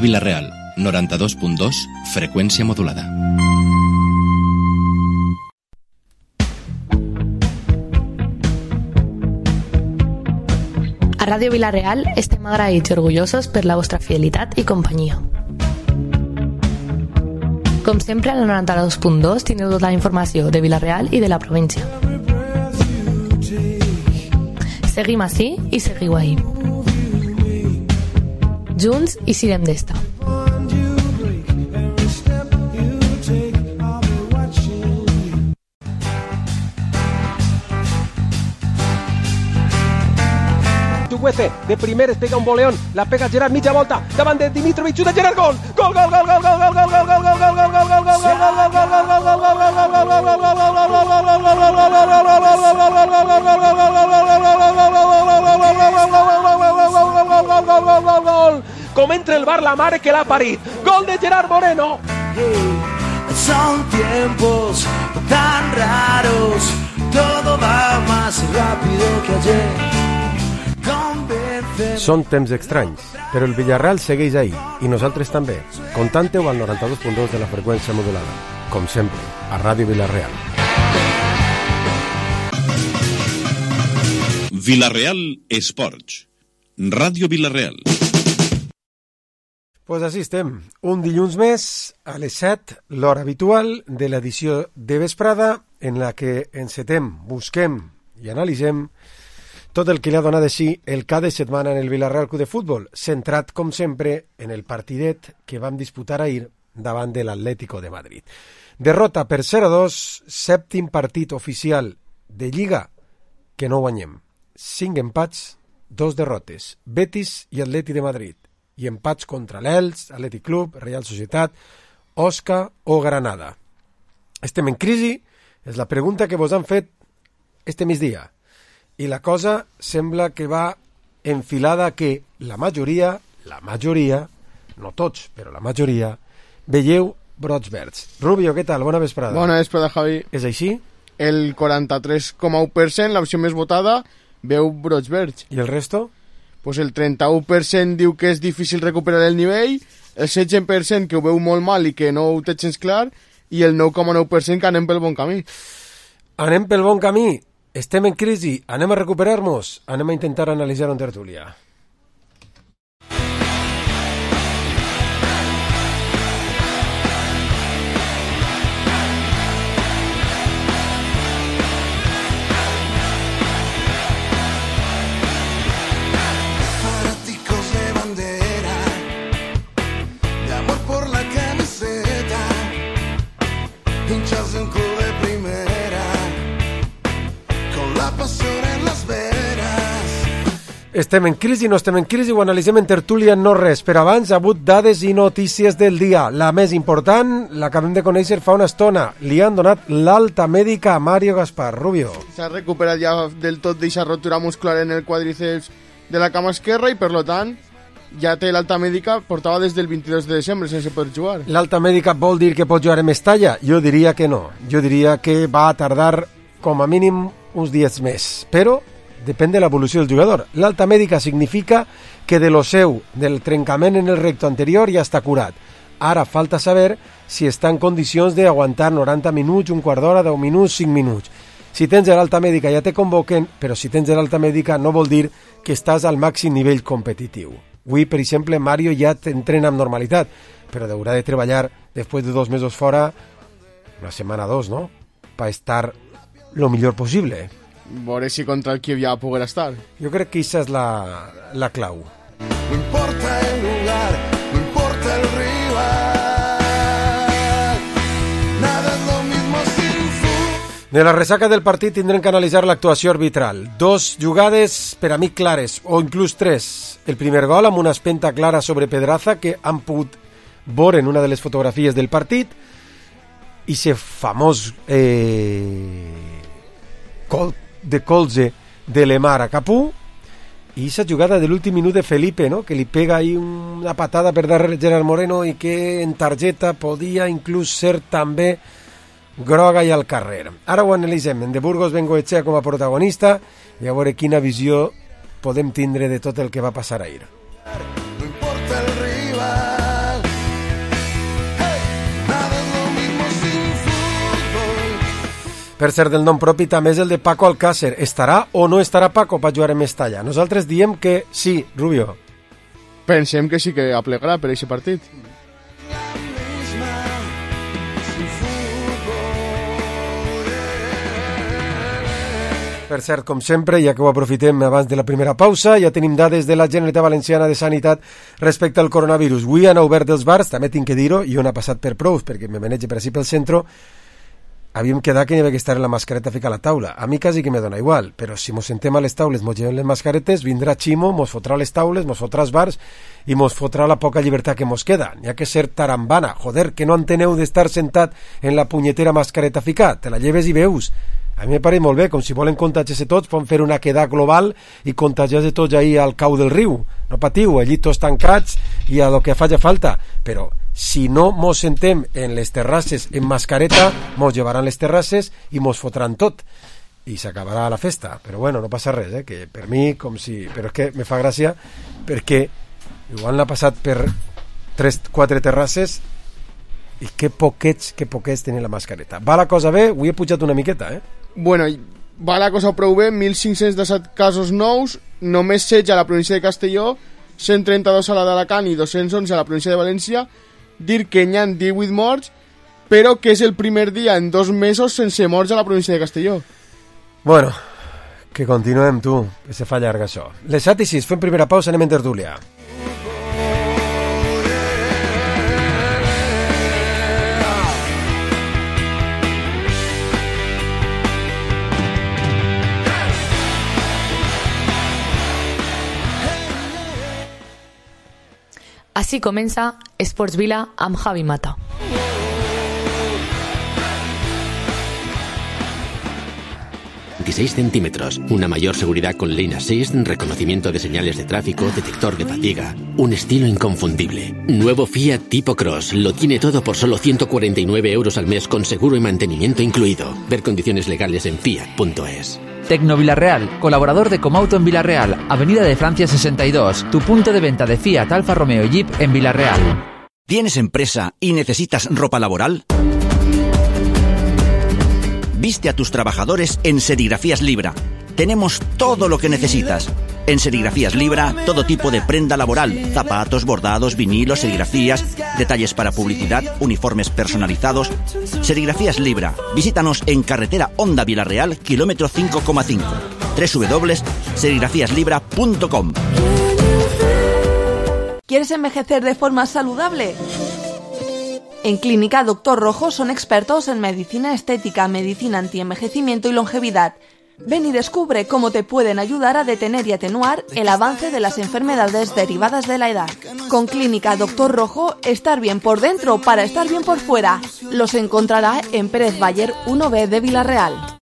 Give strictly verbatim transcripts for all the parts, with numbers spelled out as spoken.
Vilareal, noranta-dos punt dos, freqüència modulada. A Ràdio Vilareal estem agraïts i orgullosos per la vostra fidelitat i companyia. Com sempre, al noranta-dos punt dos teniu tota la informació de Vilareal i de la província. Seguim ací i seguiu ahí. Junts i sirem d'esta. Chuguece, de primeres pega un boleón, la pega Gerard, mitja volta, davant de Dimitrovic, xuta Gerard, gol! Gol, gol, gol, gol, gol, gol, gol, gol, gol, gol, gol, gol, gol, gol, gol, com entra el bar la mare que l'ha parit. Gol de Gerard Moreno. Son tiempos tan raros, todo va más rápido que ayer. Són temps estranys, però el Villarreal segueix ahí, i nosaltres també. Contante-ho al noranta-dos punt dos de la freqüència modulada. Com sempre, a Ràdio Vilareal. Vilareal Esports. Ràdio Vilareal. Pues així estem, un dilluns més, a les set, l'hora habitual de l'edició de vesprada, en la que encetem, busquem i analitzem tot el que li ha donat així el cada setmana en el Villarreal Club de Futbol, centrat, com sempre, en el partidet que vam disputar ahir davant de l'Atlético de Madrid. Derrota per zero a dos, sèptim partit oficial de Lliga que no guanyem. Cinc empats, dos derrotes, Betis i Atleti de Madrid, i empats contra l'Elx, Atlètic Club, Real Societat, Osca o Granada. Estem en crisi? És la pregunta que vos han fet este migdia. I la cosa sembla que va enfilada que la majoria, la majoria, no tots, però la majoria, veieu brots verds. Rubio, què tal? Bona vesprada. Bona vesprada, Javi. És així? El quaranta-tres coma u per cent, l'opció més votada, veu brots verds. I el resto? Pues el trenta-u per cent diu que és difícil recuperar el nivell, el setze per cent que ho veu molt mal i que no ho té gens clar, i el nou coma nou per cent que anem pel bon camí. Anem pel bon camí. Estem en crisi, anem a recuperar-nos, anem a intentar analitzar en tertúlia. Fanáticos de bandera, de amor por la camiseta, hinchas de un club de primera, la passió en les veres. Estem en crisi, no estem en crisi, ho analitzem en tertúlia, no res. Per abans, ha hagut dades i notícies del dia. La més important, l'acabem de conèixer fa una estona. Li han donat l'alta mèdica a Mario Gaspar. Rubio. S'ha recuperat ja del tot d'aquesta rotura muscular en el quadríceps de la cama esquerra i, per lo tant, ja té l'alta mèdica, portava des del vint-i-dos de desembre sense poder jugar. L'alta mèdica vol dir que pot jugar en Mestalla? Jo diria que no. Jo diria que va a tardar com a mínim uns dies més, però depèn de l'evolució del jugador. L'alta mèdica significa que de lo seu, del trencament en el recto anterior, ja està curat. Ara falta saber si està en condicions d'aguantar noranta minuts, un quart d'hora, deu minuts, cinc minuts. Si tens l'alta mèdica ja te convoquen, però si tens l'alta mèdica no vol dir que estàs al màxim nivell competitiu. Avui, per exemple, Mario ja t'entrena amb normalitat, però haurà de treballar després de dos mesos fora, una setmana o dos, no?, per estar lo millor possible. Veure si contra el Kiev ja poder estar. Jo crec que aquesta és la, la clau. No importa el lugar, no importa el rival, nada es lo mismo sin fútbol. De la ressaca del partit tindrem que analitzar l'actuació arbitral. Dos jugades per a mi clares, o inclús tres. El primer gol amb una espenta clara sobre Pedraza que han pogut veure en una de les fotografies del partit, i ese famós eh, col de colze de Lemar a Capú, i esa jugada de l'últim minut de Felipe, no?, que li pega ahí una patada per darrere Gerard Moreno i que en targeta podia inclús ser també groga i al carrer. Ara ho analitzem. En de Burgos Bengoechea com a protagonista i a veure quina visió podem tindre de tot el que va passar ahir. No importa el rival, Per cert, del nom propi també és el de Paco Alcácer. Estarà o no estarà Paco per jugar en Mestalla? Nosaltres diem que sí, Rubio. Pensem que sí que aplegarà per aquest partit. Per cert, com sempre, ja que ho aprofitem abans de la primera pausa, ja tenim dades de la Generalitat Valenciana de Sanitat respecte al coronavirus. Avui han obert els bars, també tinc que dir-ho, i on ha passat per prous, perquè me manege per així pel centre, havíem quedat que hi havia que estar en la mascareta ficar a la taula. A mi quasi que me dona igual, però si mos sentem a les taules, mos llevem les mascaretes, vindrà Ximo, mos fotrà les taules, mos fotrà els bars i mos fotrà la poca llibertat que mos queda. N'hi ha que ser tarambana. Joder, que no enteneu d'estar sentat en la punyetera mascareta ficat. Te la lleves i veus. A mi me pare molt bé, com si volen contagiar-se tots, poden fer una queda global i contagiar-se tots ahí al cau del riu. No patiu, allí tots tancats i a lo que faci falta. Però si no mos sentem en les terrasses en mascareta, mos llevaran les terrasses i mos fotran tot. I s'acabarà la festa. Però bueno, no passa res, eh? Que per mi, com si... Però és que me fa gràcia perquè igual l'ha passat per tres, quatre terrasses i que poquets, que poquets tenen la mascareta. Va la cosa bé? Avui he pujat una miqueta, eh? Bueno, va la cosa prou bé, mil cinc-cents disset casos nous, només setze a la província de Castelló, cent trenta-dos a la d'Alacant i dos-cents onze a la província de València. Dir que n'hi ha divuit morts, però que és el primer dia en dos mesos sense morts a la província de Castelló. Bueno, que continuem, tu, que se fa llarg això. Les set i sis, fem primera pausa, anem en tertúlia. Así comença Esports Vila amb Javi Mata. veintiséis centímetros, una mayor seguridad con Lane Assist, reconocimiento de señales de tráfico, detector de fatiga, un estilo inconfundible. Nuevo Fiat Tipo Cross, lo tiene todo por solo ciento cuarenta y nueve euros al mes con seguro y mantenimiento incluido. Ver condiciones legales en fiat punto es. Tecno Villarreal, colaborador de Comauto en Villarreal, Avenida de Francia sesenta y dos, tu punto de venta de Fiat, Alfa Romeo y Jeep en Villarreal. ¿Tienes empresa y necesitas ropa laboral? Viste a tus trabajadores en Serigrafías Libra. Tenemos todo lo que necesitas. En Serigrafías Libra, todo tipo de prenda laboral, zapatos, bordados, vinilos, serigrafías, detalles para publicidad, uniformes personalizados. Serigrafías Libra. Visítanos en carretera Honda Villarreal, kilómetro cinco coma cinco. doble u doble u doble u punto serigrafías libra punto com. ¿Quieres envejecer de forma saludable? En Clínica Doctor Rojo son expertos en medicina estética, medicina antienvejecimiento y longevidad. Ven y descubre cómo te pueden ayudar a detener y atenuar el avance de las enfermedades derivadas de la edad. Con Clínica Doctor Rojo, estar bien por dentro para estar bien por fuera. Los encontrará en Pérez Bayer uno B de Villarreal.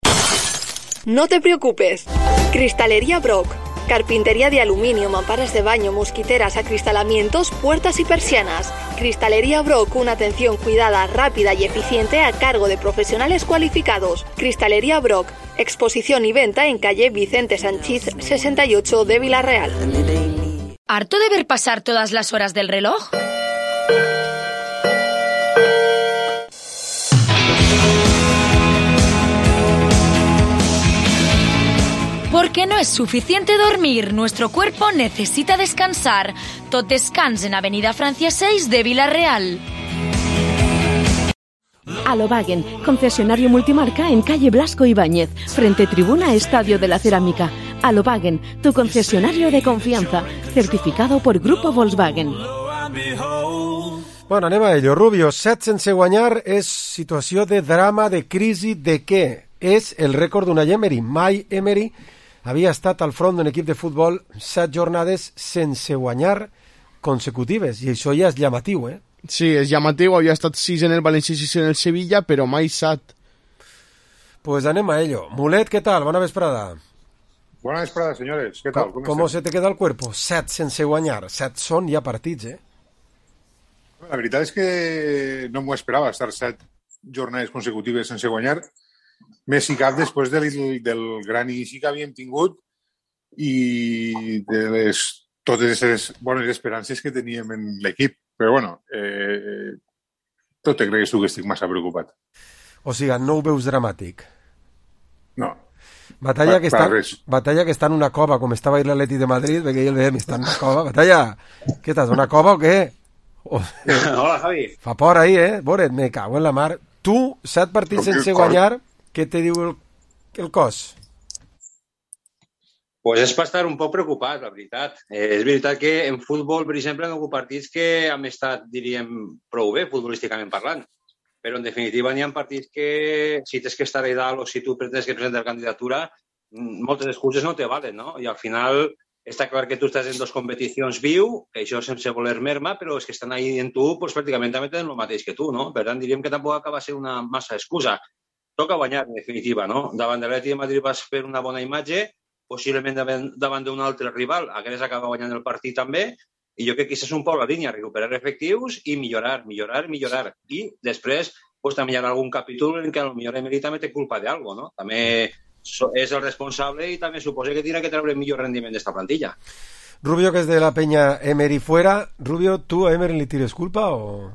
No te preocupes. Cristalería Brock. Carpintería de aluminio, mamparas de baño, mosquiteras, acristalamientos, puertas y persianas. Cristalería Brock, una atención cuidada, rápida y eficiente a cargo de profesionales cualificados. Cristalería Brock, exposición y venta en calle Vicente Sanchís sesenta y ocho de Villarreal. ¿Harto de ver pasar todas las horas del reloj? Porque no es suficiente dormir, nuestro cuerpo necesita descansar. Tot descans en Avenida Francia seis de Villarreal. Alobagen, concesionario multimarca en calle Blasco Ibáñez, frente tribuna Estadio de la Cerámica. Alobagen, tu concesionario de confianza, certificado por Grupo Volkswagen. Bueno, anem a ello. Rubio, set sense guanyar és situació de drama, de crisi, de què? És el rècord d'una Emery. Mai Emery havia estat al front d'un equip de futbol set jornades sense guanyar consecutives, i això ja és llamatiu, eh? Sí, és llamatiu, havia estat sis en el València i sis en el Sevilla, però mai set. Pues anem a ello. Mulet, ¿qué tal? Bona vesprada. Buena vesprada, señores. ¿Qué tal? ¿Cómo, ¿Cómo se te queda el cuerpo? Set sense guanyar. Set són ja partits, eh? La veritat és que no m'ho esperava, estar set jornades consecutives sense guanyar. Més i cap després del, del gran inici que havíem tingut i de les, totes les bones esperances que teníem en l'equip. Però, bueno, eh, tot te cregues tu que estic massa preocupat. O sigui, no ho veus dramàtic? No. Batalla Pa- que, para està, res. batalla que està en una cova, com estava ahir l'Atleti de Madrid, perquè ell deia, està en una cova. Batalla, què estàs, una cova o què? O... Hola, Javi. Fa por ahí, eh? Boret, me cago en la mar. Tu, set partits Però que sense cor- guanyar, què te diu el, el cos? Pues és per estar un poc preocupat, la veritat. Eh, és veritat que en futbol, per exemple, han hagut partits que hem estat, diríem, prou bé, futbolísticament parlant. Però, en definitiva, n'hi ha partits que, si tens que estar a dalt o si tu tens que presentar candidatura, mm, moltes excuses no te valen, no? I al final està clar que tu estàs en dues competicions viu, que això sense voler merma, però és que estan ahí en tu, pues, pràcticament també tenen el mateix que tu, no? Per tant, diríem que tampoc acaba de ser una massa excusa. Toca guanyar, en definitiva, no? Davant de l'Atleti de Madrid vas fer una bona imatge, possiblement davant, davant d'un altre rival, hagués acabat guanyant el partit també, i jo crec que aquesta és un poc la línia, recuperar efectius i millorar, millorar, millorar. I després, pues, també hi ha algun capítol en què potser Emery també té culpa d'algo, no? També so- és el responsable i també suposa que tindrà que treure el millor rendiment d'esta plantilla. Rubio, que és de la penya Emery fuera. Rubio, tu a Emery li tires culpa o...?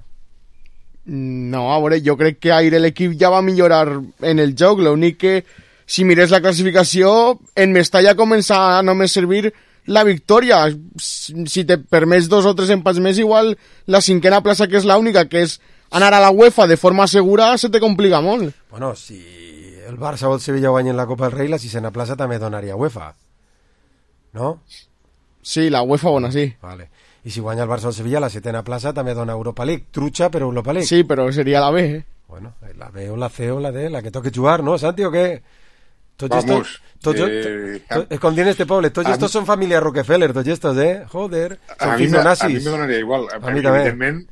No, a veure, jo crec que ahir l'equip ja va millorar en el joc, l'únic que si mires la classificació en Mestalla comença a només servir la victòria. Si te permets dos o tres empats més, igual la cinquena plaça, que és l'única, que és anar a la UEFA de forma segura, se te complica molt. Bueno, si el Barça o el Sevilla guanyen la Copa del Rei, la sisena plaça també donaria UEFA, no? Sí, la UEFA bona, sí. Vale. I si guanya el Barça o el Sevilla, la setena plaça també dona Europa League. Trucha, però Europa League. Sí, però seria la B, eh? Bueno, la B o la C o la D, la que toque jugar, ¿no, Santi, o què? Tots Vamos, estos, tots, eh, to, es com diuen este poble, tots estos són família Rockefeller, tots estos, eh? Joder, són A mi, fills me, de a nazis. mi me donaria igual. A mi també. Evidentment,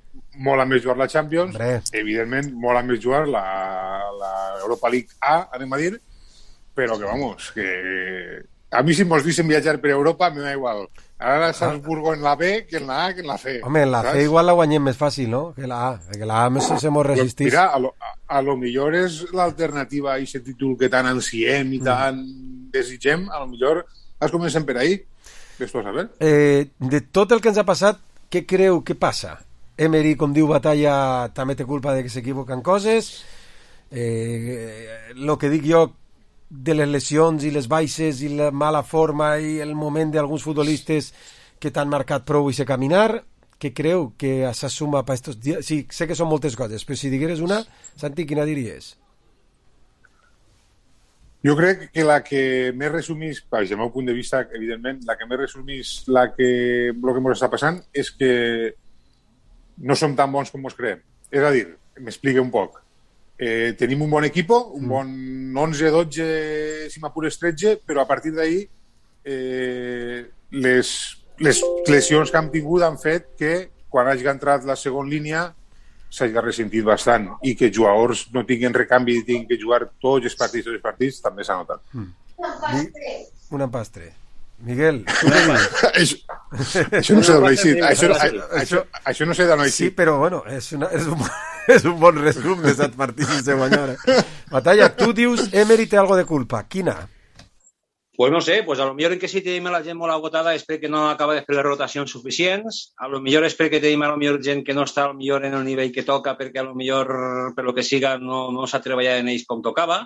mola més jugar la Champions, Hombre. evidentment, mola més jugar la, la Europa League A, anem a dir, però que, vamos, que... A mi si mos dicen viatjar per Europa, me da igual. Ara Salzburgo en la B que en la A que en la C. Home, en la ¿sabes? C igual la guanyem més fàcil, no? Que la A, que la A més se mos resistís. Mira, a lo, a, a lo millor és l'alternativa a aquest títol que tan ansiem i tan desitgem, a lo millor es comencem per ahí. Ves-tu a saber. Eh, de tot el que ens ha passat, què creu que passa? Emery, com diu Batalla, també té culpa de que s'equivoquen coses. Eh, lo que dic jo de les lesions i les baixes i la mala forma i el moment d'alguns futbolistes que t'han marcat prou i se caminar, què creu que s'assuma per estos dies? Sí, sé que són moltes coses, però si digueres una, Santi, quina diries? Jo crec que la que més resumís, des del meu punt de vista, evidentment, la que més resumís la que, el que ens està passant és que no som tan bons com ens creiem. És a dir, m'explique un poc. Eh, tenim un bon equipo, un bon onze, dotze, si m'apures tretze, però a partir d'ahí eh, les, les lesions que hem tingut han fet que quan hagi entrat la segona línia s'hagi ressentit bastant i que jugadors no tinguin recanvi i tinguin que jugar tots els partits, tots els partits, també s'ha notat. Mm. Un empastre. Miguel, tu què dius? això, això no sé d'on ha eixit. Això, això, això no sé d'on ha eixit. Sí, però bueno, és, una, és, un, és un bon resum de set partits sense guanyar. Eh? Batalla, tu dius Emery té algo de culpa. Quina? Pues no sé, pues a lo millor en que si tenim la gent molt agotada és perquè no acaba de fer les rotacions suficients, a lo millor és perquè tenim a lo millor gent que no està a lo millor en el nivell que toca perquè a lo millor per lo que siga no, no s'ha treballat en ells com tocava,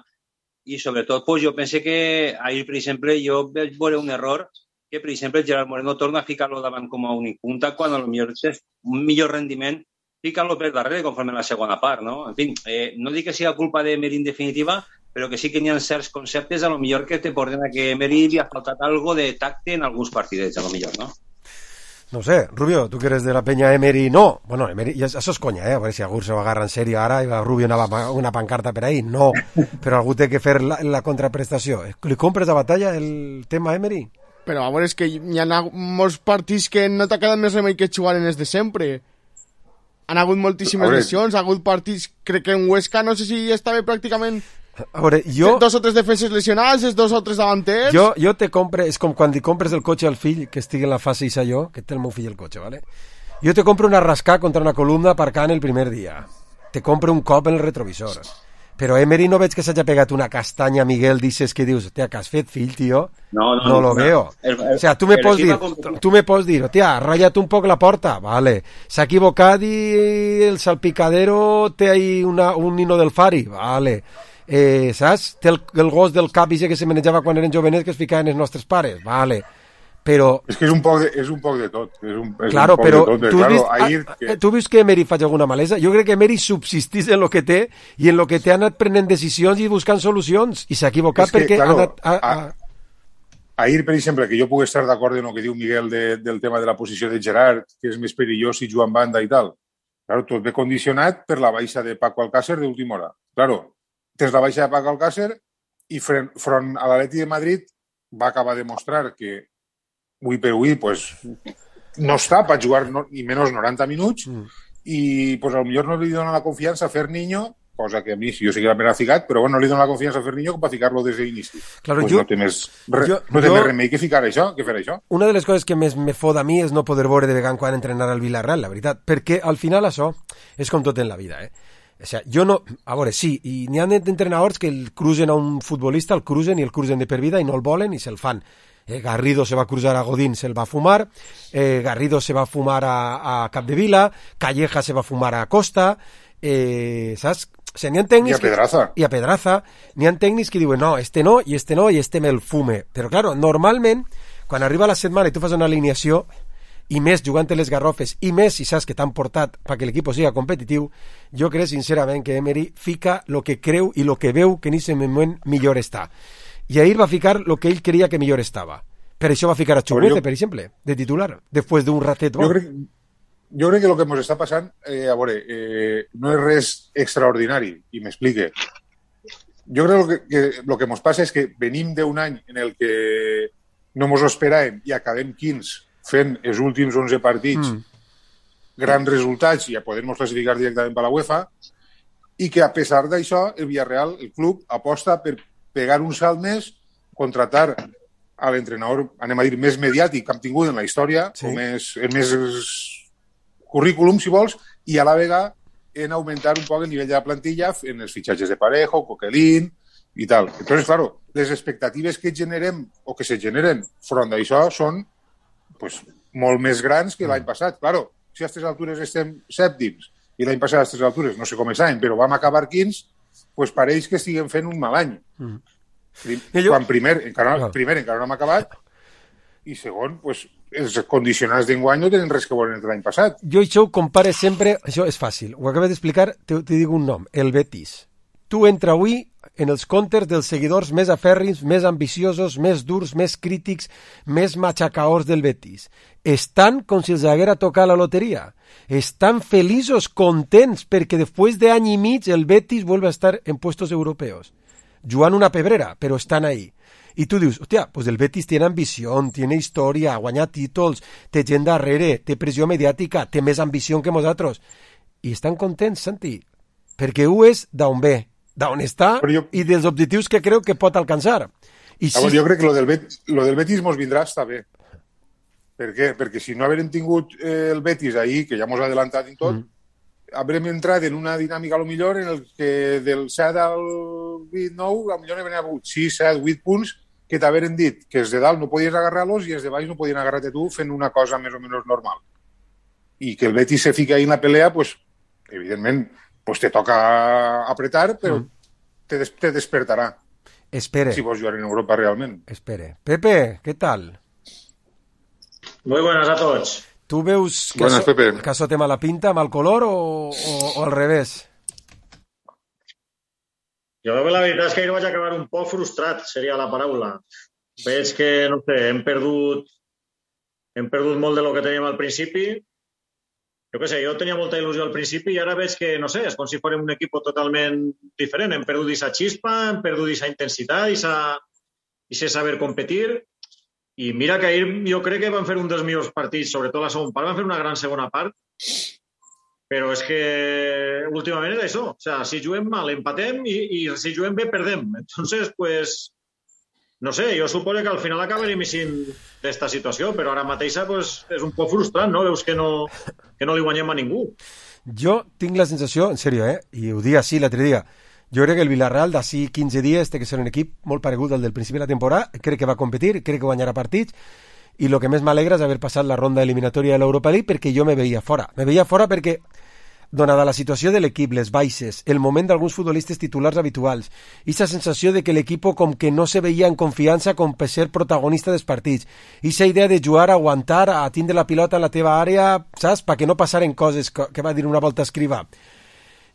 i sobretot pues, jo pense que ahir, per exemple, jo vaig veure un error que, per exemple, Gerard Moreno torna a ficar-lo davant com a únic punta quan a lo millor és un millor rendiment ficant-lo per darrere conforme a la segona part, no? En fi, eh, no dic que sigui culpa d'Emery en definitiva, però que sí que n'hi ha certs conceptes a lo millor que te porten a que Emery li ha faltat algo de tacte en alguns partidets, a lo millor, no? No sé, Rubio, tu que eres de la penya Emery, no, bueno, Emery, ja, això és conya, eh, a veure si algú se ho agarra en sèrio ara i va Rubio anava una pancarta per ahí, no, però algú té que fer la, la contraprestació. Li compres a Batalla el tema Emery? Però a veure, és que hi ha molts partits que no t'ha quedat més remei que jugar en els de sempre. Han hagut moltíssimes lesions, ha hagut partits, crec que en Huesca, no sé si estava pràcticament... A veure, jo... Dos o tres defenses lesionats, els dos o tres davanters... Jo, jo te compre, és com quan li compres el cotxe al fill que estigui en la fase i jo, que té el meu fill el cotxe, ¿vale? Jo te compro una rascar contra una columna aparcant el primer dia. Te compro un cop en el retrovisor. Però Emery no veig que s'hagi pegat una castanya, Miguel, dices que dius, hòstia, que has fet fill, tio? No, no, no lo no. veo. El, el, o sea, tu me el pots dir, com... tu me pots dir, hòstia, ha ratllat un poc la porta, vale. S'ha equivocat i el salpicadero té ahí una, un nino del Fari, vale. eh, saps? Té el, el gos del cap que se menjava quan eren jovenets que es ficaven els nostres pares, vale. Però... És que és un poc de, és un poc de tot. És un, és claro, un poc però de tot. tu, Claro, vist, ahir a, que... tu veus que Emery faig alguna malesa? Jo crec que Emery subsistís en lo que té i en lo que té ha anat prenent decisions i buscant solucions i s'ha equivocat que, perquè claro, ha anat... A, a... a... Ahir, per exemple, que jo puc estar d'acord en el que diu Miguel de, del tema de la posició de Gerard, que és més perillós si juga en banda i tal. Claro, tot ve condicionat per la baixa de Paco Alcácer d'última hora. Claro, tens la baixa de Paco Alcácer i front, front a l'Atleti de Madrid va acabar de mostrar que avui per avui pues, no està per jugar no, ni menys noranta minuts mm. i pues, potser no li dona la confiança a Ferniño, cosa que a mi, si jo sé que la primera ficat, però bueno, no li dona la confiança a Ferniño com per ficar-lo des d'inici. Claro, pues jo, no té més, re, jo, no té jo, més remei que ficar això, que fer això. Una de les coses que més me fot a mi és no poder veure de vegada quan entrenar al Villarreal, la veritat, perquè al final això és com tot en la vida, eh? O sea, jo no... A veure, sí, i n'hi ha entrenadors que el cruzen a un futbolista, el cruzen i el cruzen de per vida i no el volen i se'l fan. Eh, Garrido se va a cruzar a Godín, se el va a fumar, eh, Garrido se va a fumar a, a Capdevila, Calleja se va a fumar a Costa, eh, saps? O sigui, n'hi ha tècnics... I a Pedraza. Que, I a Pedraza. N'hi ha tècnics que diuen, no, este no, i este no, i este me'l fume. Però, claro, normalment, quan arriba la setmana i tu fas una alineació, i més jugant les garrofes, i més si saps que t'han portat perquè l'equip sigui competitiu, jo crec sincerament que Emery fica lo que creu i lo que veu que en aquest moment millor està. I ahir va ficar lo que ell creia que millor estava. Per això va ficar a Chukwueze, jo... per exemple, de titular, després d'un ratet bo. Jo crec, jo crec que el que ens està passant, eh, a veure, eh, no és res extraordinari, i m'explique. Jo crec que, que el que ens passa és que venim d'un any en el que no ens ho esperàvem i acabem quinze fent els últims onze partits mm. grans resultats i ja podem classificar directament per la UEFA, i que a pesar d'això el Villarreal, el club, aposta per pegar un salt més, contratar a l'entrenador, anem a dir, més mediàtic que hem tingut en la història, sí. o més, el més currículum, si vols, i a la vegada en augmentar un poc el nivell de la plantilla en els fitxatges de Parejo, Coquelin i tal. Entonces, claro, les expectatives que generem o que se generen front d'això són pues, molt més grans que l'any passat. Claro, si a aquestes altures estem sèptims i l'any passat a aquestes altures no sé com estàvem, però vam acabar quinze, pues pareix que estiguem fent un mal any. Mm. Jo... Quan primer encara, no. primer encara no hem acabat i segon, pues, els condicionats d'enguany no tenen res que veure l'any passat. Jo això ho compare sempre, això és fàcil, ho acabes d'explicar, te, te dic un nom, el Betis. Tu entra avui en els comptes dels seguidors més afèrrims, més ambiciosos, més durs, més crítics, més machacaors del Betis. Estan com si els haguera tocat la loteria. Estan feliços, contents, perquè després d'any i mig el Betis vuelve a estar en puestos europeos. Jugant una pebrera, però estan ahí. I tu dius, hòstia, pues el Betis tiene ambició, tiene història, ha guanyat títols, té gent darrere, té pressió mediàtica, té més ambició que nosaltres. I estan contents, Santi, perquè ho és d'on ve, d'on està jo... i dels objectius que creu que pot alcançar. I si... Jo crec que lo del, Bet... lo del Betis mos vindrà està bé. Per què? Perquè si no haguem tingut eh, el Betis ahir, que ja mos ha adelantat en tot, mm. haurem entrat en una dinàmica a lo millor en el que del set al vuit nou, a lo millor n'hi havia hagut sis, set, vuit punts que t'haveren dit que els de dalt no podies agarrar-los i els de baix no podien agarrar-te tu fent una cosa més o menys normal. I que el Betis se fica ahí en la pelea, pues, evidentment, pues te toca apretar, però mm. te, des te despertarà. Espere. Si vols jugar en Europa realment. Espere. Pepe, ¿qué tal? Muy buenas a tots. ¿Tú veus que, buenas, eso, Pepe. que això té mala pinta, mal color o, o, o al revés? Jo veu que la veritat és que ahir vaig acabar un poc frustrat, seria la paraula. Veig que, no sé, hem perdut hem perdut molt de lo que teníem al principi. Jo què sé, jo tenia molta il·lusió al principi i ara veig que, no sé, és com si fórem un equip totalment diferent. Hem perdut aquesta xispa, hem perdut aquesta intensitat, aquest saber competir. I mira que ahir jo crec que van fer un dels millors partits, sobretot la segona part, van fer una gran segona part, però és que últimament és això. O sea, si juguem mal, empatem i, i si juguem bé, perdem. Entonces, pues, no sé, jo suposo que al final acabarem eixint d'esta situació, però ara mateixa pues, és un poc frustrant, no? Veus que no, que no li guanyem a ningú. Jo tinc la sensació, en sèrio, eh? I ho dic així l'altre dia, jo crec que el Villarreal d'ací quinze dies té que ser un equip molt paregut al del principi de la temporada, crec que va competir, crec que guanyarà partits, i el que més m'alegra és haver passat la ronda eliminatòria de l'Europa League perquè jo me veia fora. Me veia fora perquè donada la situació de l'equip, les baixes, el moment d'alguns futbolistes titulars habituals, i la sensació de que l'equip com que no se veia en confiança com per ser protagonista dels partits, i la idea de jugar, a aguantar, a tindre la pilota en la teva àrea, saps? Perquè no passaren coses que, que va dir una volta Escrivà.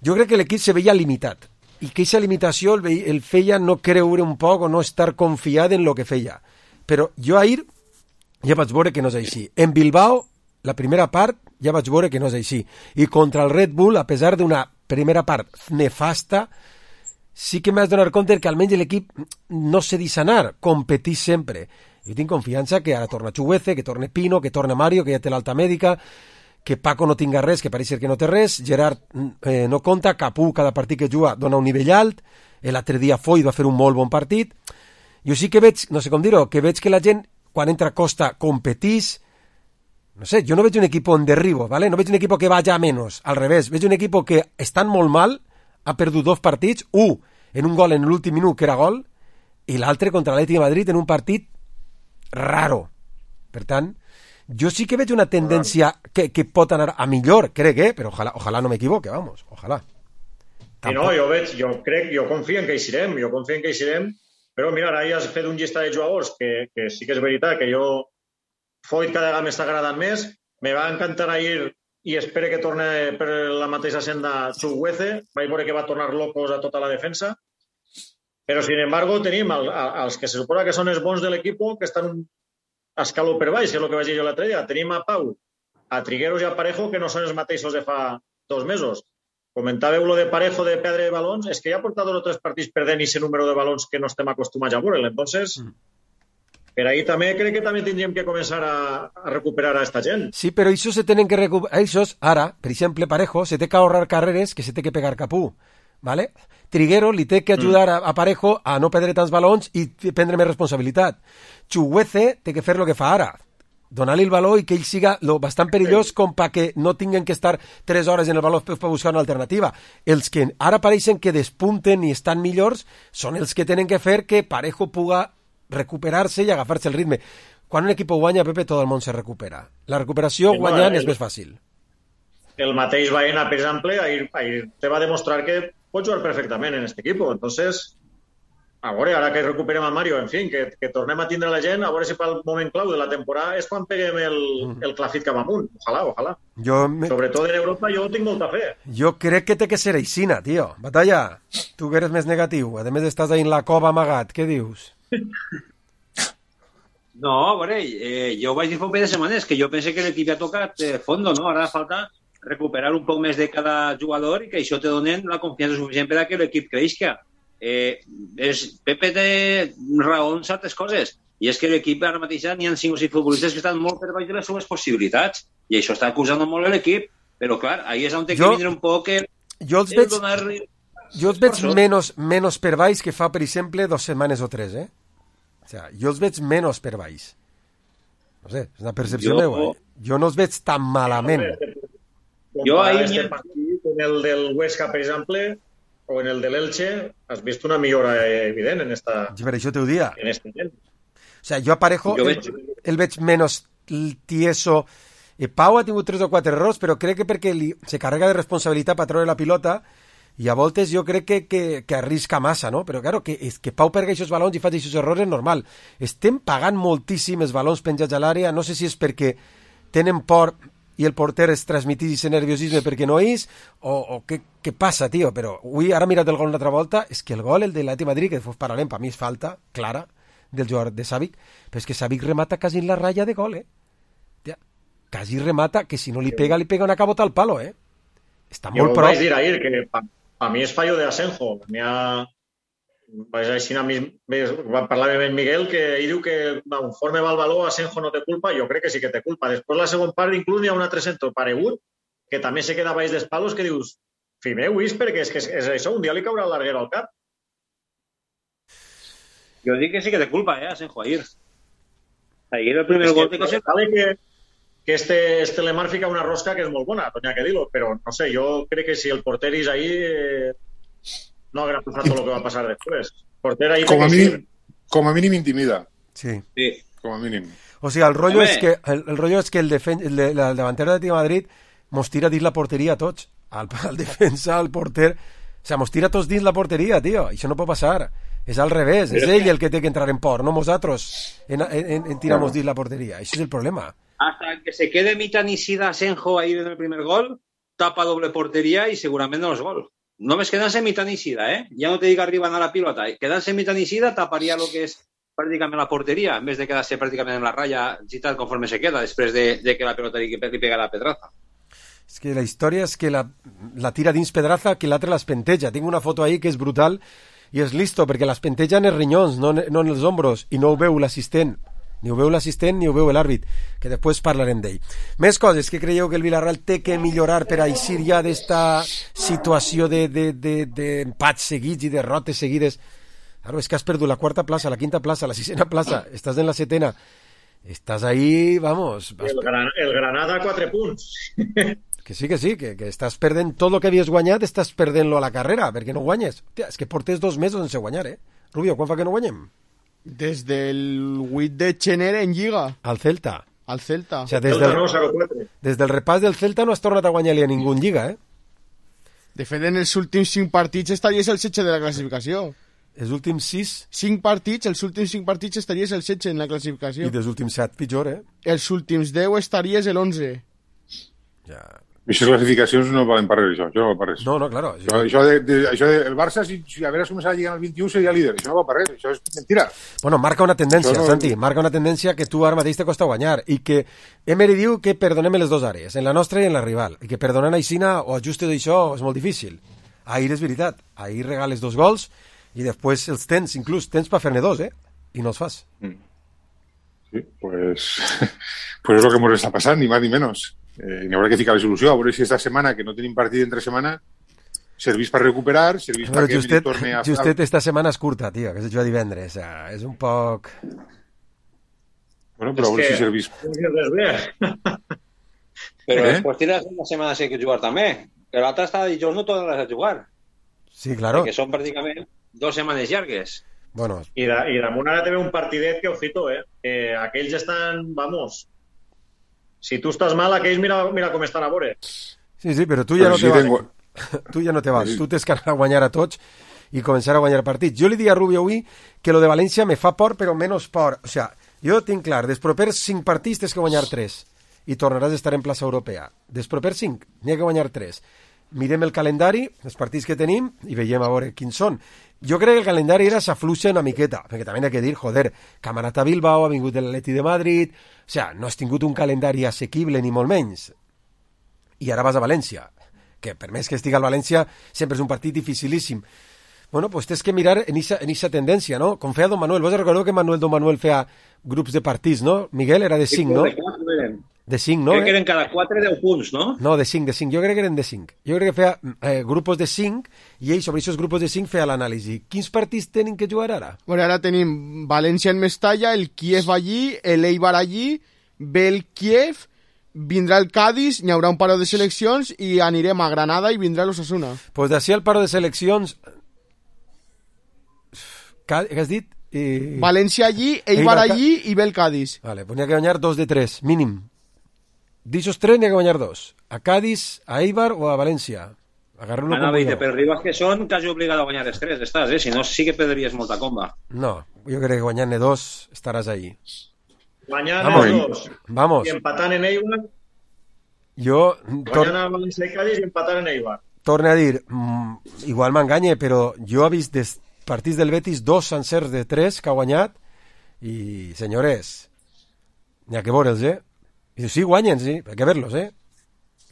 Jo crec que l'equip se veia limitat, i que aquesta limitació el, el feia no creure un poc o no estar confiat en el que feia. Però jo ahir ja vaig veure que no és així. En Bilbao, la primera part, ja vaig veure que no és així. I contra el Red Bull, a pesar d'una primera part nefasta, sí que m'has donat compte que almenys l'equip no se deixa anar, competís sempre. Jo tinc confiança que ara torna Chuguece, que torna Pino, que torna Mario, que ja té l'alta mèdica, que Paco no tinga res, que pareix ser que no té res, Gerard eh, no compta, Capú cada partit que juga dona un nivell alt, l'altre dia Foy va fer un molt bon partit. Jo sí que veig, no sé com dir-ho, que veig que la gent, quan entra a Costa, competís. No sé, jo no veig un equip en derribo, ¿vale? No veig un equip que vaya a menos, al revés, veig un equip que estan molt mal, ha perdut dos partits, un en un gol en l'últim minut, que era gol, i l'altre contra l'Atlètic de Madrid en un partit raro. Per tant, jo sí que veig una tendència que, que pot anar a millor, crec, eh? Però ojalà, ojalà no m'equivoque, vamos, ojalà. I no, jo veig, jo crec, jo confio en que hi serem, jo confio en que hi serem, però mira, ara ja has fet un llistat de jugadors que, que sí que és veritat, que jo Foyt cada vegada m'està agradant més, me va encantar ahir i espero que torne per la mateixa senda Chuguece, vaig veure que va tornar locos a tota la defensa, però sin embargo tenim el, els que se suposa que són els bons de l'equip que estan a escaló per baix, que és el que vaig dir jo l'altre dia. Tenim a Pau, a Trigueros i a Parejo, que no són els mateixos de fa dos mesos. Comentàveu lo de Parejo de perdre balons, és que ja ha portat dos o tres partits perdent aquest número de balons que no estem acostumats a veure. Entonces, mm. per ahí també crec que també tindríem que començar a, a recuperar a esta gent. Sí, però això se tenen que recuperar. Això, ara, per exemple, Parejo, se té que ahorrar carreres que se té que pegar Capú. ¿Vale? Triguero li té que ajudar a, a Parejo a no perdre tants balons i prendre més responsabilitat. Chuguece té que fer el que fa ara, donar-li el baló i que ell siga lo bastant perillós com perquè no tinguen que estar tres hores en el baló per buscar una alternativa. Els que ara pareixen que despunten i estan millors són els que tenen que fer que Parejo puga recuperar-se i agafar-se el ritme. Quan un equip guanya, Pepe, tot el món se recupera. La recuperació sí, guanyant el, és més fàcil. El mateix Baena, per exemple, ahir, ahir te va demostrar que pot jugar perfectament en aquest equip. Entonces, a veure, ara que recuperem a Mario, en fi, que, que tornem a tindre la gent, a veure si pel moment clau de la temporada és quan peguem el, el clafit cap amunt. Ojalà, ojalà. Jo me... Sobretot en Europa jo tinc molta fe. Jo crec que té que ser aixina, tio. Batalla, tu que eres més negatiu. A més, estàs ahí en la cova amagat. Què dius? No, a veure, eh, jo vaig dir fa un parell de setmanes que jo pense que l'equip ha tocat eh, fondo, no? Ara falta recuperar un poc més de cada jugador i que això te donen la confiança suficient per a que l'equip creixca. Eh, és, Pepe té raó en certes coses, i és que l'equip ara mateix n'hi ha cinc o sis futbolistes que estan molt per baix de les seves possibilitats, i això està acusant molt l'equip, però clar, ahí és on té que vindre un poc el, jo els el veig, donar... Jo els veig menys, menys per baix que fa, per exemple, dues setmanes o tres, eh? O sea, jo els veig menys per baix. No sé, és una percepció meva. Eh? Jo no els veig tan malament. Jo ahir... Este partit, en el del Huesca, per exemple, o en el de l'Elche, has vist una millora evident en esta... Sí, per això t'ho dia. En este gent. O sea, jo a Parejo el veig, el veig menys tieso. Eh, Pau ha tingut tres o quatre errors, però crec que perquè li, se carrega de responsabilitat per treure la pilota i a voltes jo crec que, que, que arrisca massa, no? Però claro, que, que Pau perga aquests balons i faci aquests errors és normal. Estem pagant moltíssim els balons penjats a l'àrea, no sé si és perquè tenen por i el porter es transmitís aquest nerviosisme perquè no és, o, o què, què passa, tio? Però avui, ara mirat el gol una altra volta, és que el gol, el de l'Atlètic de Madrid, que fos paralem, per mi és falta clara del jugador de Savic, però és que Savic remata quasi en la ratlla de gol, eh? Tia, quasi remata, que si no li pega, li pega una cabota al palo, eh? Està molt prou. Jo vaig dir ahir que a mi és fallo de Asenjo. N'hi ha... Vaig així a mi... Va parlar amb en Miguel que ell diu que conforme va el baló Asenjo no té culpa. Jo crec que sí que té culpa. Després la segona part inclús n'hi ha un altre centre paregut que també se queda baix dels palos que dius fi meu, és perquè és que és això, un dia li caurà el larguero al cap. Jo dic que sí que té culpa, eh, Asenjo, ahir. Ahir el primer gol té que ser... que que este, este Lemar fica una rosca que és molt bona, no hi ha que dir-ho, però no sé, jo crec que si el porter és ahí eh, no haurà passat tot el que va passar després. Porter ahí com, a mínim, sí. com a mínim intimida. Sí. Sí. Com a mínim. O sigui, el rotllo és que el, el, rotllo és que el, defen el, de, el davanter de Madrid mos tira dins la porteria a tots. al, al defensa, al porter, o sea, mos tira tots dins la porteria, tio, això no pot passar, és al revés, és ell el que té que entrar en por, no nosaltres en, en, en tiramos dins la porteria, això és el problema. Hasta que se quede Mitanicida Asenjo ahí en el primer gol, tapa doble portería y seguramente no es gol. No ves quedarse Mitanicida, ¿eh? Ya no te diga arriba a la pilota. Quedarse Mitanicida taparía lo que es prácticamente la portería, en vez de quedarse prácticamente en la raya y tal conforme se queda, después de, de que la pelota li, li pega la Pedraza. És que la història és que la, la tira dins Pedraza, que l'altre l'espenteja. Tinc una foto ahí que és brutal i és listo, perquè l'espenteja en els rinyons, no, no en els ombros, i no ho veu l'assistent. Ni ho veu l'assistent ni ho veu l'àrbit, que després parlarem d'ell. Més coses que creieu que el Villarreal té que millorar per a eixir ja d'esta situació d'empats de, de, de seguits i derrotes seguides. Claro, és que has perdut la quarta plaça, la quinta plaça, la sisena plaça, estàs en la setena, estàs ahí, vamos... El, gran, el Granada a quatre punts. Que sí, que sí, que, que estàs perdent tot el que havies guanyat, estàs perdent-lo a la carrera, perquè no guanyes. Hòstia, és que portes dos mesos sense guanyar, eh? Rubio, quan fa que no guanyem? Des del vuit de gener en Lliga. Al Celta. Al Celta. O sea, des, del, des del repàs del Celta no has tornat a guanyar-li a ningú en Lliga, eh? De fet, en els últims cinc partits estaries el setze de la classificació. Els últims sis? Cinc partits, els últims cinc partits estaries el setze en la classificació. I dels últims set, pitjor, eh? Els últims deu estaries l'onze. Ja... Aquestes classificacions no valen per res, això, això no val per res. No, no, claro. Això, això, de, de, això de, el Barça, si, si hagués començat a llegar al vint-i-u, seria líder. Això no val per res, això és mentira. Bueno, marca una tendència, no... Santi, marca una tendència que tu ara mateix te costa guanyar, i que Emery diu que perdonem les dues àrees, en la nostra i en la rival, i que perdonant aixina o ajustes d'això és molt difícil. Ahir és veritat, ahir regales dos gols, i després els tens, inclús tens per fer-ne dos, eh? I no els fas. Mm. Sí, pues, pues és el que ens està passant, ni més ni menys. Eh, n'hi haurà que ficar la solució, a veure si esta setmana, que no tenim partit entre setmana, servís per recuperar, servís però perquè justet, torni a... Justet, esta setmana és curta, tio, que es juga divendres, o sea, és un poc... Bueno, però a veure si servís... Però eh? Després tires una setmana sí que jugar també. L'altre està de dijous, no tornaràs a jugar. Sí, claro. Que són pràcticament dues setmanes llargues. Bueno. I, da, i damunt ara també un partidet que, ojito, eh? eh aquells estan, vamos... Si tu estàs mal, aquells mira, mira com estan a veure. Sí, sí, però tu ja però no si te vas. Tengo... Tu ja no te vas. Sí. Tu tens que anar a guanyar a tots i començar a guanyar partits. Jo li dic a Rubio avui que lo de València me fa por, però menys por. O sea, jo tinc clar, dels propers cinc partits tens que guanyar tres i tornaràs a estar en plaça europea. Dels propers cinc n'hi ha que guanyar tres. Mirem el calendari, els partits que tenim, i veiem a veure quins són. Jo crec que el calendari era s'afluixa una miqueta, perquè també hi ha que dir, joder, Camarata a Bilbao, ha vingut l'Atleti de Madrid, o sea, no has tingut un calendari assequible ni molt menys. I ara vas a València, que per més que estigui al València, sempre és un partit dificilíssim. Bueno, pues tens que mirar en esa, en esa tendència, no? Com feia Don Manuel. Vos recordeu que Manuel Don Manuel feia grups de partits, no? Miguel era de cinc, no? De cinc, no? Crec que eren cada quatre deu punts, no? No, de cinc, de cinc. Jo crec que eren de cinc. Jo crec que feia eh, grupos de cinc i ell sobre aquests grupos de cinc feia l'anàlisi. Quins partits tenen que jugar ara? Bueno, ara tenim València en Mestalla, el Kiev allí, el Eibar allí, ve el Kiev, vindrà el Cádiz, n'hi haurà un paro de seleccions i anirem a Granada i vindrà l'Osasuna. Pues d'ací al paro de seleccions... Què has dit? Eh... València allí, Eibar, Eibar allí i ve el Cádiz. Vale, pues n'hi ha que guanyar dos de tres, mínim. D'ixos tres n'hi ha que guanyar dos. A Cádiz, a Eibar o a València. Agarrar-lo com vull. Per rivals que són, quasi obligat a guanyar els tres, estàs, eh? Si no, sí que perdries molta comba. No, jo crec que guanyant-ne dos estaràs ahí. Guanyant-ne dos. Vamos. I empatant en Eibar. Jo... Guanyant a València i Cádiz i empatant en Eibar. Torne a dir, mm, igual m'enganye, però jo he vist des partits del Betis dos sencers de tres que ha guanyat i, senyores, n'hi ha que veure'ls, eh? I sí, guanyen, sí, hay que verlos, eh?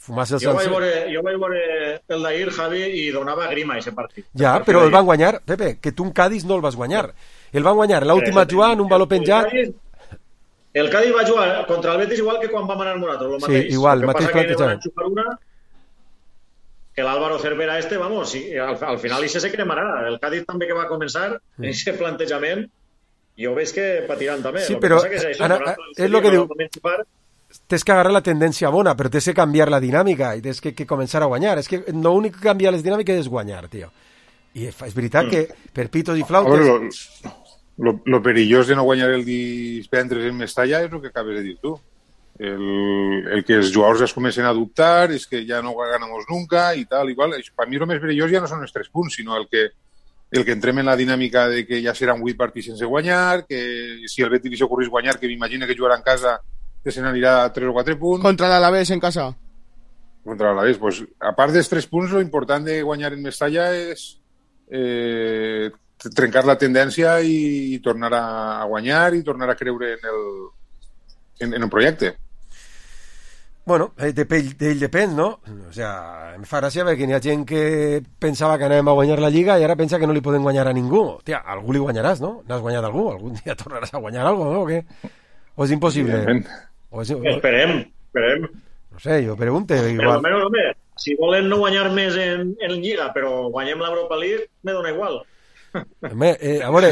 Fumarse el jo sencer. Vaig veure, jo vaig veure el d'ahir, Javi, i donava grima ese partit. Ja, el però el van guanyar, Pepe, que tu en Cádiz no el vas guanyar. El van guanyar l'última jugada, un baló penjat. El, el Cádiz va jugar contra el Betis igual que quan vam anar nosaltres, el mateix. Sí, igual, el mateix plantejament. Que l'Álvaro Cervera este, vamos, sí, al, al final això se cremarà. El Cádiz també que va començar en aquest plantejament, jo veig que patiran també. Sí, però que és, això, ara, és el que diu, tens que agarrar la tendència bona, però tens que canviar la dinàmica i tens que, que començar a guanyar. És que l'únic que canvia les dinàmiques és guanyar, tio. I és veritat mm. que per pitos i flautes... A veure, lo, lo, lo perillós de no guanyar el divendres en Mestalla és el que acabes de dir tu. El, el que els jugadors es comencen a dubtar és que ja no ganamos nunca i tal, igual. Per mi el més perillós ja no són els tres punts, sinó el que, el que entrem en la dinàmica de que ja seran vuit partits sense guanyar, que si el Betis li ocorrís guanyar, que m'imagina que jugarà en casa, que se n'anirà a tres o quatre punts. Contra l'Alavés en casa. Contra l'Alavés, pues, a part dels tres punts, lo important de guanyar en Mestalla és eh, trencar la tendència i, i tornar a, a guanyar i tornar a creure en el, en, en el projecte. Bueno, d'ell de, depèn, no? O sea, em fa gràcia perquè hi ha gent que pensava que anàvem a guanyar la Lliga i ara pensa que no li poden guanyar a ningú. Hòstia, algú li guanyaràs, no? N'has guanyat algú? Algun dia tornaràs a guanyar algo, no? O què? O és impossible? O és... Esperem, esperem. No sé, jo pregunte. Igual. Però almenys, home, si volen no guanyar més en, en Lliga, però guanyem l'Europa League, me dona igual. Home, eh, a veure,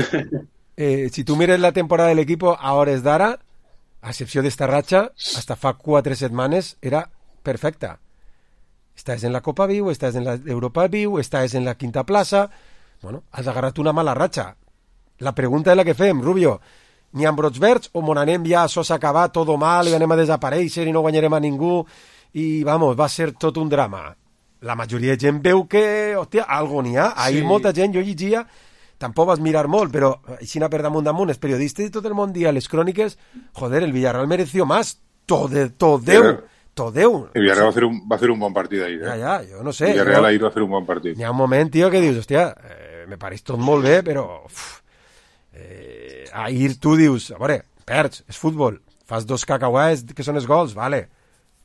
eh, si tu mires la temporada de l'equip a hores d'ara, a excepció d'esta ratxa, hasta fa quatre setmanes era perfecta. Estàs en la Copa Viu, estàs en l'Europa Viu, estàs en la quinta plaça. Bueno, has agarrat una mala ratxa. La pregunta és la que fem, Rubio. N'hi ha brots verds o mon anem ja, això s'ha acabat, tot mal, i anem a desaparèixer i no guanyarem a ningú i, vamos, va ser tot un drama. La majoria de gent veu que, hòstia, algo n'hi ha. Ahir sí. Molta gent, jo llegia, tampoc vas mirar molt, però així per damunt damunt, els periodistes de tot el món dia, les cròniques, joder, el Villarreal mereció más, tot Déu, tot Déu. El Villarreal va fer un, va fer un bon partit ahir, eh? Ja, ja, jo no sé. El Villarreal ahir va fer un bon partit. Hi ha un moment, tio, que dius, hòstia, eh, me pareix tot molt bé, però... Uf, eh, ahir tu dius, a veure, perds, és futbol, fas dos cacauets que són els gols, vale,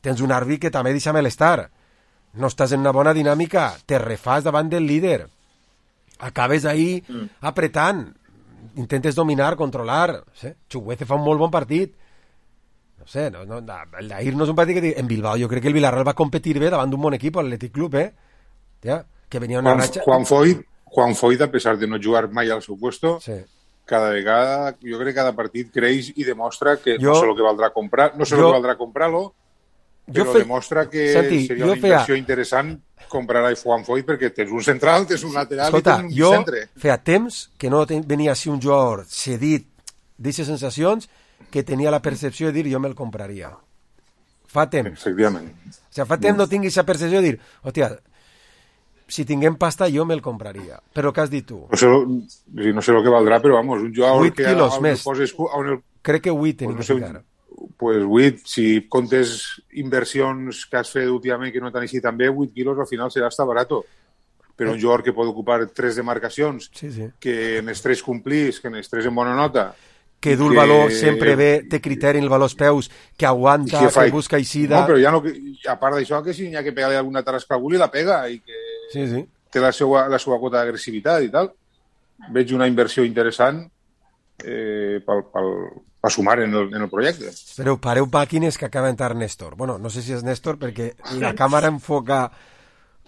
tens un àrbit que també deixa malestar, no estàs en una bona dinàmica, te refàs davant del líder, acabes ahí mm. apretant, intentes dominar, controlar, no sé, Chuguece fa un molt bon partit, no sé, no, no, el d'ahir no és un partit que... En Bilbao jo crec que el Villarreal va competir bé davant d'un bon equip, l'Atlètic Club, eh? Ja, que venia una Juan, ratxa... Juan Foyt, Juan Foyt, a pesar de no jugar mai al seu puesto, sí. cada vegada, jo crec que cada partit creix i demostra que jo, no sé el que valdrà comprar, no sé jo, el que valdrà comprar-lo, però fe... demostra que Santi, seria una inversió feia... interessant comprar a Juan Foyt perquè tens un central, tens un lateral Escolta, i tens un jo centre. Feia temps que no ten... venia així un jugador cedit d'aquestes sensacions que tenia la percepció de dir jo me'l compraria. Fa temps. Efectivament. O sigui, fa temps no tinguis aquesta percepció de dir, hòstia, si tinguem pasta jo me'l compraria. Però què has dit tu? No sé, no sé el que valdrà, però vamos, un jugador vuit que... quilos més. Poses, el... Crec que vuit tenim pues que no sé, ficar. Pues vuit, si comptes inversions que has fet últimament que no t'han així tan bé, vuit quilos al final serà hasta barato. Però un jugador que pot ocupar tres demarcacions, sí, sí. que en els tres complís, que en els tres en bona nota... Que du el valor sempre bé, té criteri en el valor als peus, que aguanta, que, fa... que busca eixida... No, però ja no, a part d'això, que si n'hi ha que pegar-li alguna tarasca a algú, la pega, i que sí, sí. té la seva, la seva quota d'agressivitat i tal. Veig una inversió interessant eh, pel, pel, per sumar en el, en el projecte. Però pareu màquines que acaba d'entrar Néstor. Bueno, no sé si és Néstor perquè la càmera enfoca...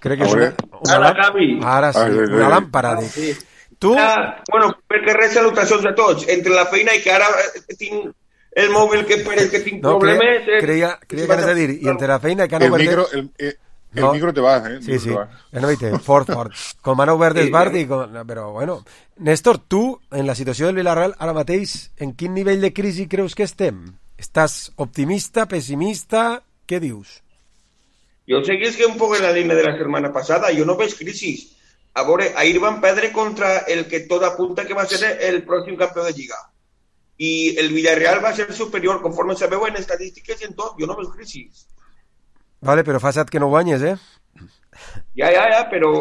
Crec que és una, una Ara, Gavi. Ara sí, ah, una làmpara. De... Sí. Tu? Ah, bueno, perquè res salutacions a tots. Entre la feina i que ara tinc el mòbil que, que tinc no, problemes... Cre creia, creia que anaves a dir, i entre la feina i que han el obert... Micro, el, el, el no. micro te va, eh? El sí, sí, va. no veig, fort, fort. Com han obert el bar, com... però bueno... Néstor, tu, en la situació del Villarreal, ara mateix, en quin nivell de crisi creus que estem? Estàs optimista, pessimista? Què dius? Jo seguís que un poc en la línia de la setmana passada, jo no veig crisi. A veure, ahir van perdre contra el que tot apunta que va ser el pròxim campió de Lliga. I el Villarreal va ser superior, conforme sabeu en estadístiques i en tot. Jo no veig crisi. Vale, però fa set que no guanyes, eh? Ja, ja, ja, però...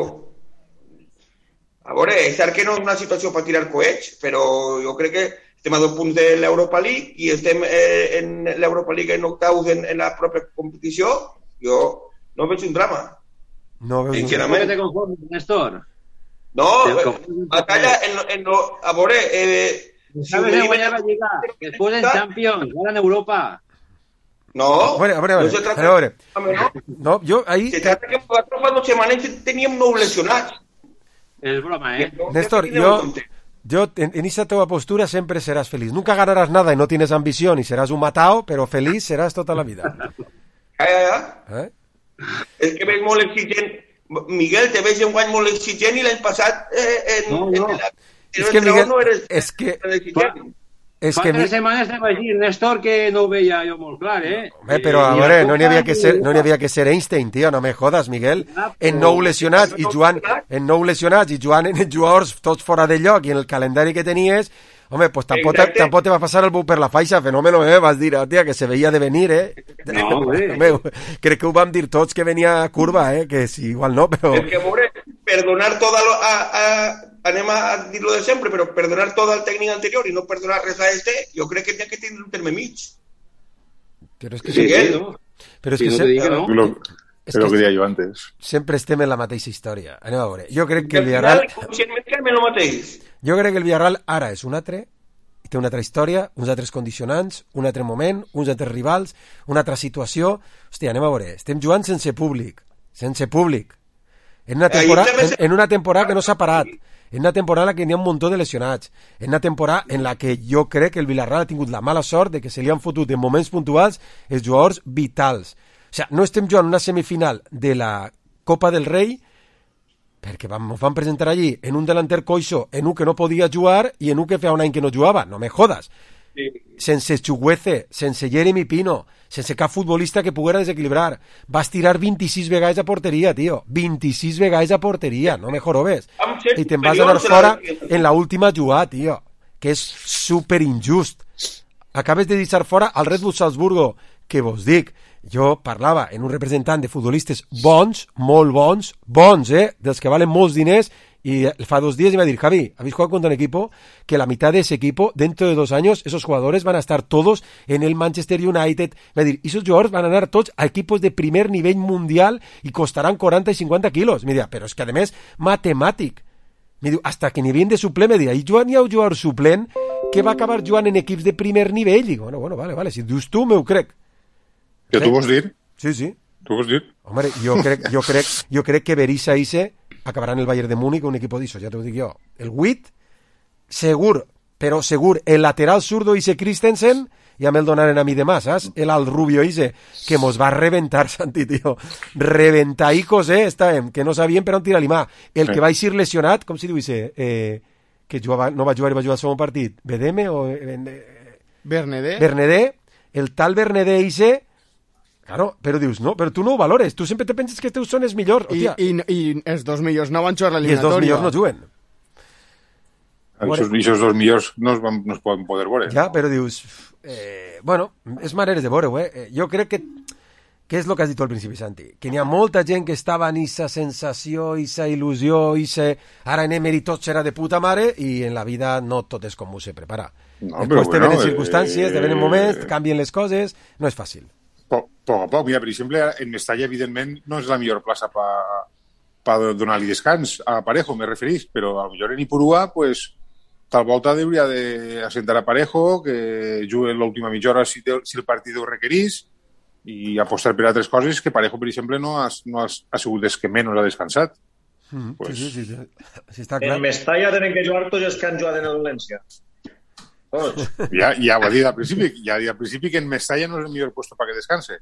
A veure, és cert que no és una situació per tirar coets, però jo crec que estem a dos punts de l'Europa League i estem eh, en l'Europa League en octaus en, en la pròpia competició. Jo no veig un drama. No veus ¿Por qué te conformes, Néstor? No, batalla en, en lo, a veure... Eh, ¿Sabes de guanyar la Lliga? Después en Champions, ahora en Europa. No, a veure, a veure, a veure, no se trata a veure. De... No, jo ahí... Se trata que nosaltres fa dos setmanes teníem nou lesionats. És broma, eh? Néstor, jo... Yo, en, en esa teva postura sempre seràs feliç. Nunca ganaràs nada y no tienes ambición y seràs un matao, però feliç seràs tota la vida. Ja, ja, ja. Eh? És que veig molt exigent. Miguel, te veig un guany molt exigent i l'any passat eh, en, no, no. en la, és que Miguel, no eres, és que és Fa que... tres setmanes te vaig dir, Néstor, que no ho veia jo molt clar, eh? Home, però a veure, no n'hi havia que ser, no n'hi havia que ser Einstein, tio, no me jodas, Miguel. En nou lesionats i jugant, en nou lesionats i jugant en jugadors tots fora de lloc i en el calendari que tenies, home, pues tampoc, tampoc te va passar el bus per la faixa, fenòmeno, eh? Vas dir, hòstia, que se veia de venir, eh? No, home, crec que ho vam dir tots que venia curva, eh? Que sí, igual no, però... Es que, pobre, perdonar todo lo, a, a, anem a dir-lo de sempre, però perdonar tot al tècnic anterior i no perdonar res a este, jo crec que té que tenir un terme mig. Però és que... Sí, sí, no? Però és Sí, que... no se... te dic que no. Lo, és lo que deia jo antes. Sempre estem en la mateixa història. Anem a veure. Jo crec que el Al Villarreal... final, conscientment, que el mateix. Jo crec que el Villarreal ara és un altre, té una altra història, uns altres condicionants, un altre moment, uns altres rivals, una altra situació... Hòstia, anem a veure. Estem jugant sense públic. Sense públic. En una temporada, en, en una temporada que no s'ha parat. En una temporada en la que n'hi ha un muntó de lesionats. En una temporada en la que jo crec que el Villarreal ha tingut la mala sort de que se li han fotut en moments puntuals els jugadors vitals. O sigui, no estem jugant una semifinal de la Copa del Rei perquè vam, ens van presentar allí en un delanter coixo, en un que no podia jugar i en un que feia un any que no jugava. No me jodas. Sí. Sense Chuguece, sense Jeremy Pino, sense cap futbolista que poguera desequilibrar. Vas tirar vint-i-sis vegades a porteria, tio. vint-i-sis vegades a porteria, no me jorobes. I te'n vas anar fora en la última jugada, tio. Que és super injust. Acabes de deixar fora al Red Bull Salzburgo, que vos dic, jo parlava en un representant de futbolistes bons, molt bons, bons, eh? Dels que valen molts diners. Y fa dos días me va a decir, Javi, ¿habéis jugado contra un equipo que la mitad de ese equipo, dentro de dos años, esos jugadores van a estar todos en el Manchester United? Me va a decir, esos jugadores van a anar tots a equipos de primer nivell mundial y costarán quaranta i cinquanta quilos. Me diu, però és que a més, matemàtic. Me diu, hasta que ni bien de suplent, me diu, i Joan hi ha un jugador suplent que va acabar jugant en equips de primer nivell. I dic, bueno, bueno, vale, vale, si dius tu, me ho crec. Que tu vols dir? Sí, sí. Tu vols dir? Hombre, jo crec, jo crec, jo crec que Berizza Ise acabarà en el Bayern de Múnich un equipo d'Iso, ja t'ho dic jo. El Witt, segur, però segur, el lateral zurdo Ise Christensen, ja me'l donaren a mi demà, saps? El al Rubio Ise, que mos va reventar, Santi, tio. Reventaicos, eh, estàvem, que no sabíem per on tirar l'imà. El que va eixir lesionat, com si diu Ise, eh, que jugava, no va jugar i va jugar al segon partit, Bedeme o... Eh, Bernedé. Bernedé, el tal Bernedé Ise... Claro, però dius, no, però tu no ho valores, tu sempre te penses que els teus són els millors. I, i, i els dos millors no van jugar l'eliminatòria. I els dos millors no juguen. Aquests bueno, dos millors no es, van, no es poden poder veure. Ja, però dius... Eh, bueno, és maneres de veure-ho, eh? Jo crec que... Què és el que has dit tu al principi, Santi? Que n'hi ha molta gent que estava en aquesta sensació, aquesta il·lusió, aquesta... Ara en Emery tot serà de puta mare i en la vida no tot és com ho se prepara. No, Després te venen circumstàncies, eh... te venen moments, canvien les coses, no és fàcil. Poc, poc a poc. Mira, per exemple, en Mestalla, evidentment, no és la millor plaça per pa, pa donar-li descans a Parejo, me referís, però a lo millor en Ipurúa, pues, tal volta hauria d'assentar a Parejo, que jugui l'última mitja hora si, te, si el partit ho requerís, i apostar per altres coses que Parejo, per exemple, no ha, no ha, ha sigut des que menys ha descansat. Mm, pues, sí, sí, sí, sí. Sí, està clar. En Mestalla tenen que jugar tots els que han jugat en el València. Ja, ja ho ha dit al principi, ja ha dit al principi que en Mestalla no és el millor puesto para que descanse.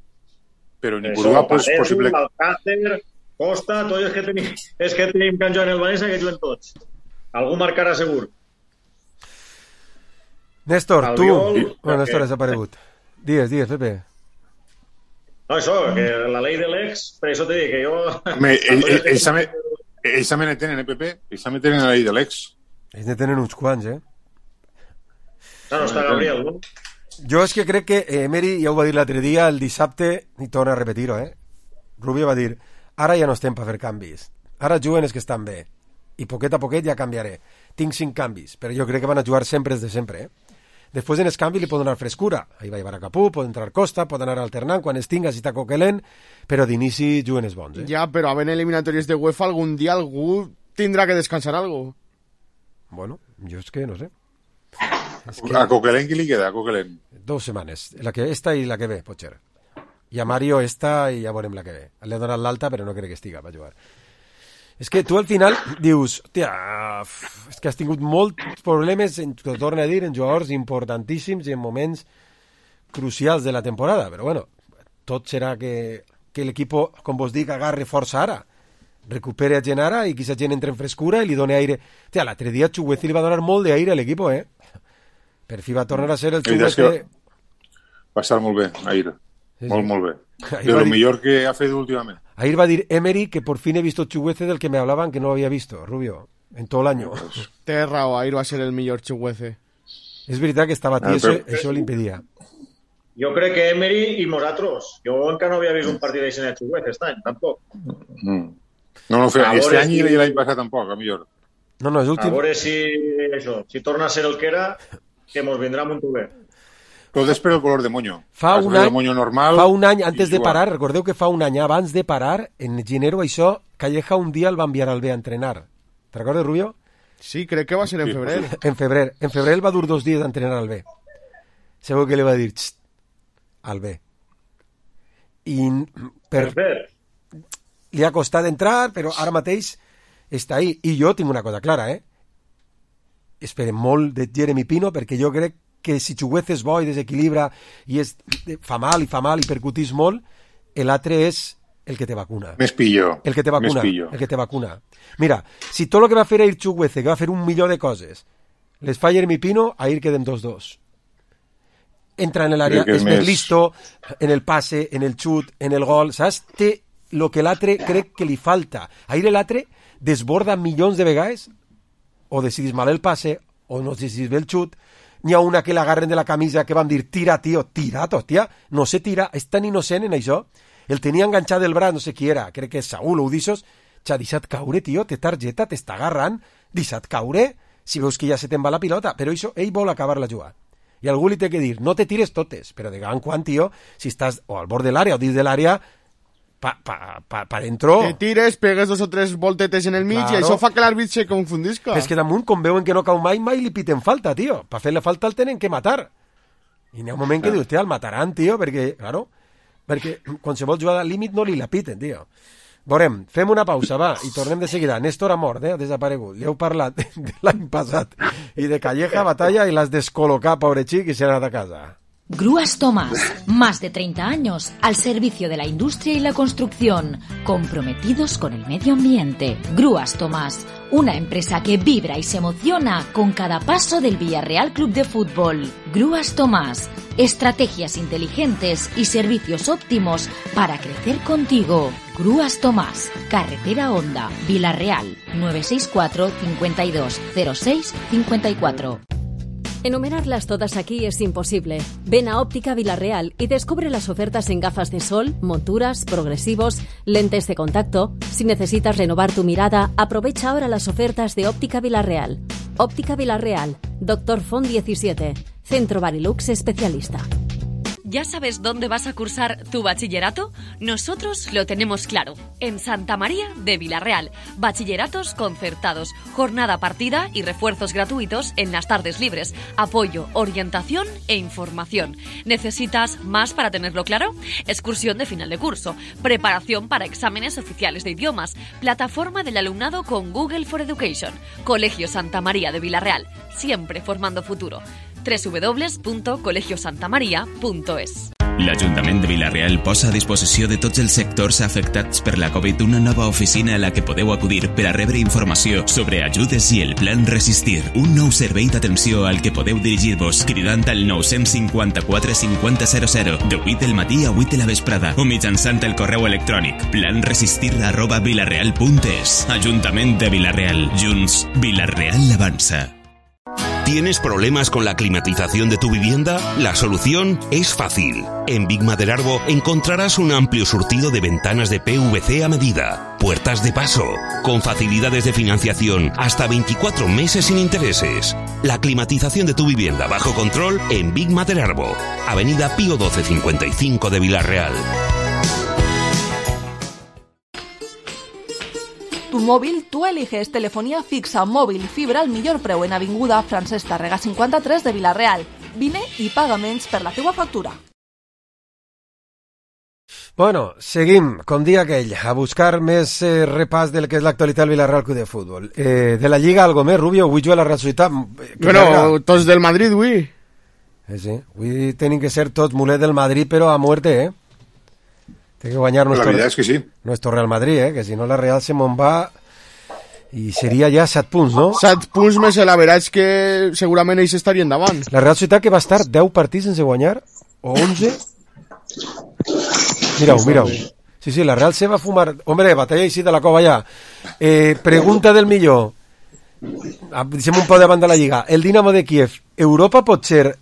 Però en Ipurúa, pues, Parejo, possible... Alcácer, Costa, tots els que tenim, els que tenim que han jugat en el València, que juguen tots. Algú marcarà segur. Néstor, tu... Bueno, Néstor ha desaparegut. Digues, digues, Pepe. No, això, que la llei de l'ex, per això t'he dit que jo... Home, ells també, ells també ne tenen, eh, Pepe? Ells també tenen la llei de l'ex. Ells ne tenen uns quants, eh? No, està Gabriel, no? Jo és que crec que Emery, ja ho va dir l'altre dia, el dissabte, i torna a repetir-ho, eh? Rubio va dir, ara ja no estem per fer canvis. Ara juguen els que estan bé. I poquet a poquet ja canviaré. Tinc cinc canvis, però jo crec que van a jugar sempre els de sempre, eh? Després en els canvis li pot donar frescura. Ahí va Ibarra Capú, pot entrar Costa, pot anar alternant quan es tinga, si està coquelent, però d'inici juguen els bons, eh? Ja, però havent eliminatòries de UEFA, algun dia algú tindrà que descansar algo. Bueno, jo és que no sé. Es que... A Coquelin qui li queda, a Coquelin? Dos setmanes, la que esta i la que ve, pot ser. I a Mario esta i ja veurem la que ve. Li ha donat l'alta, però no crec que estiga per jugar. És que tu al final dius, hòstia, és que has tingut molts problemes, t'ho torno a dir, en jugadors importantíssims i en moments crucials de la temporada, però bueno, tot serà que, que l'equip, com vos dic, agarre força ara, recupere a gent ara i que aquesta gent entre en frescura i li doni aire. Hòstia, l'altre dia Chuguezi li va donar molt d'aire a l'equip, eh? Per fi va tornar a ser el xuguete... Va estar molt bé, Ahir. Sí, molt, sí. molt bé. Ahir de lo dir... millor que ha fet últimament. Ahir va dir Emery que por fin he visto Chuguece del que me hablaban que no lo había visto, Rubio, en todo el año. Pues... Té raó, Ahir va ser el millor Chuguece. És veritat que estava tieso, ah, però... això l'impedia. Jo crec que Emery i nosaltres. Jo encara no havia vist un partit d'això de Chuguece aquest any, tampoc. Mm. No, no, fe, este any i l'any passat tampoc, a millor. No, no, és últim. A veure si, això, si torna a ser el que era, que mos vindrà molt bé. Tot és per el color de moño. Fa un, any, moño normal fa un any, antes de parar, recordeu que fa un any abans de parar, en Ginero, això, Calleja un dia el va enviar al B a entrenar. Te recordes, Rubio? Sí, crec que va ser en sí, febrer. En febrer. En febrer va dur dos dies d'entrenar al B. Segur que li va dir al B. I per... li ha costat entrar, però ara mateix està ahí. I jo tinc una cosa clara, eh? Esperem molt de Jeremy Pino, perquè jo crec que si Chuguece és bo i desequilibra i és, fa mal i fa mal i percutís molt, l'altre és el que te vacuna. Més pillo. El que te vacuna. El que te vacuna. Mira, si tot el que va fer ahir Chuguece, que va fer un milió de coses, les fa Jeremy Pino, ahir quedem dos dos. Entra en l'àrea, és més listo, en el passe, en el xut, en el gol, saps? Té el que l'altre crec que li falta. Ahir l'altre desborda milions de vegades, o decidís mal el passe, o no decidís bé el xut. N'hi ha una que l'agarren de la camisa que van dir tira, tio, tira, hòstia, no se tira, és tan innocent en això. El tenia enganxat del braç, no sé qui era, crec que és Saúl o Udissos, t'ha deixat caure, tio, té targeta, t'està agarrant, deixat caure, si veus que ja se te'n va la pilota, però això, ell vol acabar la jugada. I algú li té que dir, no te tires totes, però de gran quan, tio, si estàs o al bord de l'àrea o dins de l'àrea, pa, pa, pa, pa dentro... Te tires, pegues dos o tres voltetes en el mig, claro. I això fa que l'àrbit se confundisca. És que damunt, com veuen que no cau mai, mai li piten falta, tio. Per fer la falta el tenen que matar. I n'hi ha un moment que dius, tia, el mataran, tio, perquè, claro, perquè qualsevol jugada al límit no li la piten, tio. Veurem, fem una pausa, va, i tornem de seguida. Néstor ha mort, eh, ha desaparegut. Li heu parlat de l'any passat i de Calleja, batalla, i l'has descol·locat, pobre xic, i s'ha anat a casa. Grúas Tomás, más de treinta años al servicio de la industria y la construcción, comprometidos con el medio ambiente. Grúas Tomás, una empresa que vibra y se emociona con cada paso del Villarreal Club de Fútbol. Grúas Tomás, estrategias inteligentes y servicios óptimos para crecer contigo. Grúas Tomás, carretera Honda, Villarreal, nueve seis cuatro, cincuenta y dos, cero seis, cincuenta y cuatro. Enumerarlas todas aquí es imposible. Ven a Óptica Villarreal y descubre las ofertas en gafas de sol, monturas, progresivos, lentes de contacto. Si necesitas renovar tu mirada, aprovecha ahora las ofertas de Óptica Villarreal. Óptica Villarreal, Doctor Font diecisiete, Centro Barilux Especialista. ¿Ya sabes dónde vas a cursar tu bachillerato? Nosotros lo tenemos claro. En Santa María de Villarreal. Bachilleratos concertados, jornada partida y refuerzos gratuitos en las tardes libres. Apoyo, orientación e información. ¿Necesitas más para tenerlo claro? Excursión de final de curso. Preparación para exámenes oficiales de idiomas. Plataforma del alumnado con Google for Education. Colegio Santa María de Villarreal. Siempre formando futuro. doble u doble u doble u punto colegio santa maria punto es. L'Ajuntament de Villarreal posa a disposició de tots els sectors afectats per la Covid una nova oficina a la que podeu acudir per a rebre informació sobre ajudes i el Plan Resistir. Un nou servei d'atenció al que podeu dirigir-vos cridant al nou cinquanta-quatre cinquanta zero zero de vuit del matí a vuit de la vesprada o mitjançant el correu electrònic planresistir arroba vilarreal punt es. Ajuntament de Villarreal. Junts, Villarreal avança. ¿Tienes problemas con la climatización de tu vivienda? La solución es fácil. En Big Maderarbo encontrarás un amplio surtido de ventanas de P V C a medida, puertas de paso, con facilidades de financiación hasta veinticuatro meses sin intereses. La climatización de tu vivienda bajo control en Big Maderarbo, Avenida Pío doce cincuenta y cinco de Villarreal. Tu móvil, tú eliges telefonía fixa, móvil y fibra al millor preu en Avinguda Francesc Tàrrega cinquanta-tres de Villarreal. Vine i paga menys per la teua factura. Bueno, seguim, com dia aquell, a buscar més eh, repàs del que és l'actualitat del Villarreal Club de Futbol. Eh, de la Lliga, algo més, Rubio? Avui juga la Real Societat. Bueno, carga. Tots del Madrid, avui. Eh, sí, avui tenen que ser tots mulets del Madrid, però a muerte, eh? Tiene que guanyar nuestro, la verdad es que sí. nuestro Real Madrid, ¿eh? Que si no la Real se mon va I seria ja set punts, no? set punts més l'average que segurament ells estarien davant. La Real Societat que va estar deu partits sense guanyar, o onze. Mira-ho, mira-ho. Sí, sí, la Real se va fumar... Hombre, batalla així de la cova ja. Eh, pregunta del millor. Deixem un poc davant de la Lliga. El Dinamo de Kiev, Europa pot ser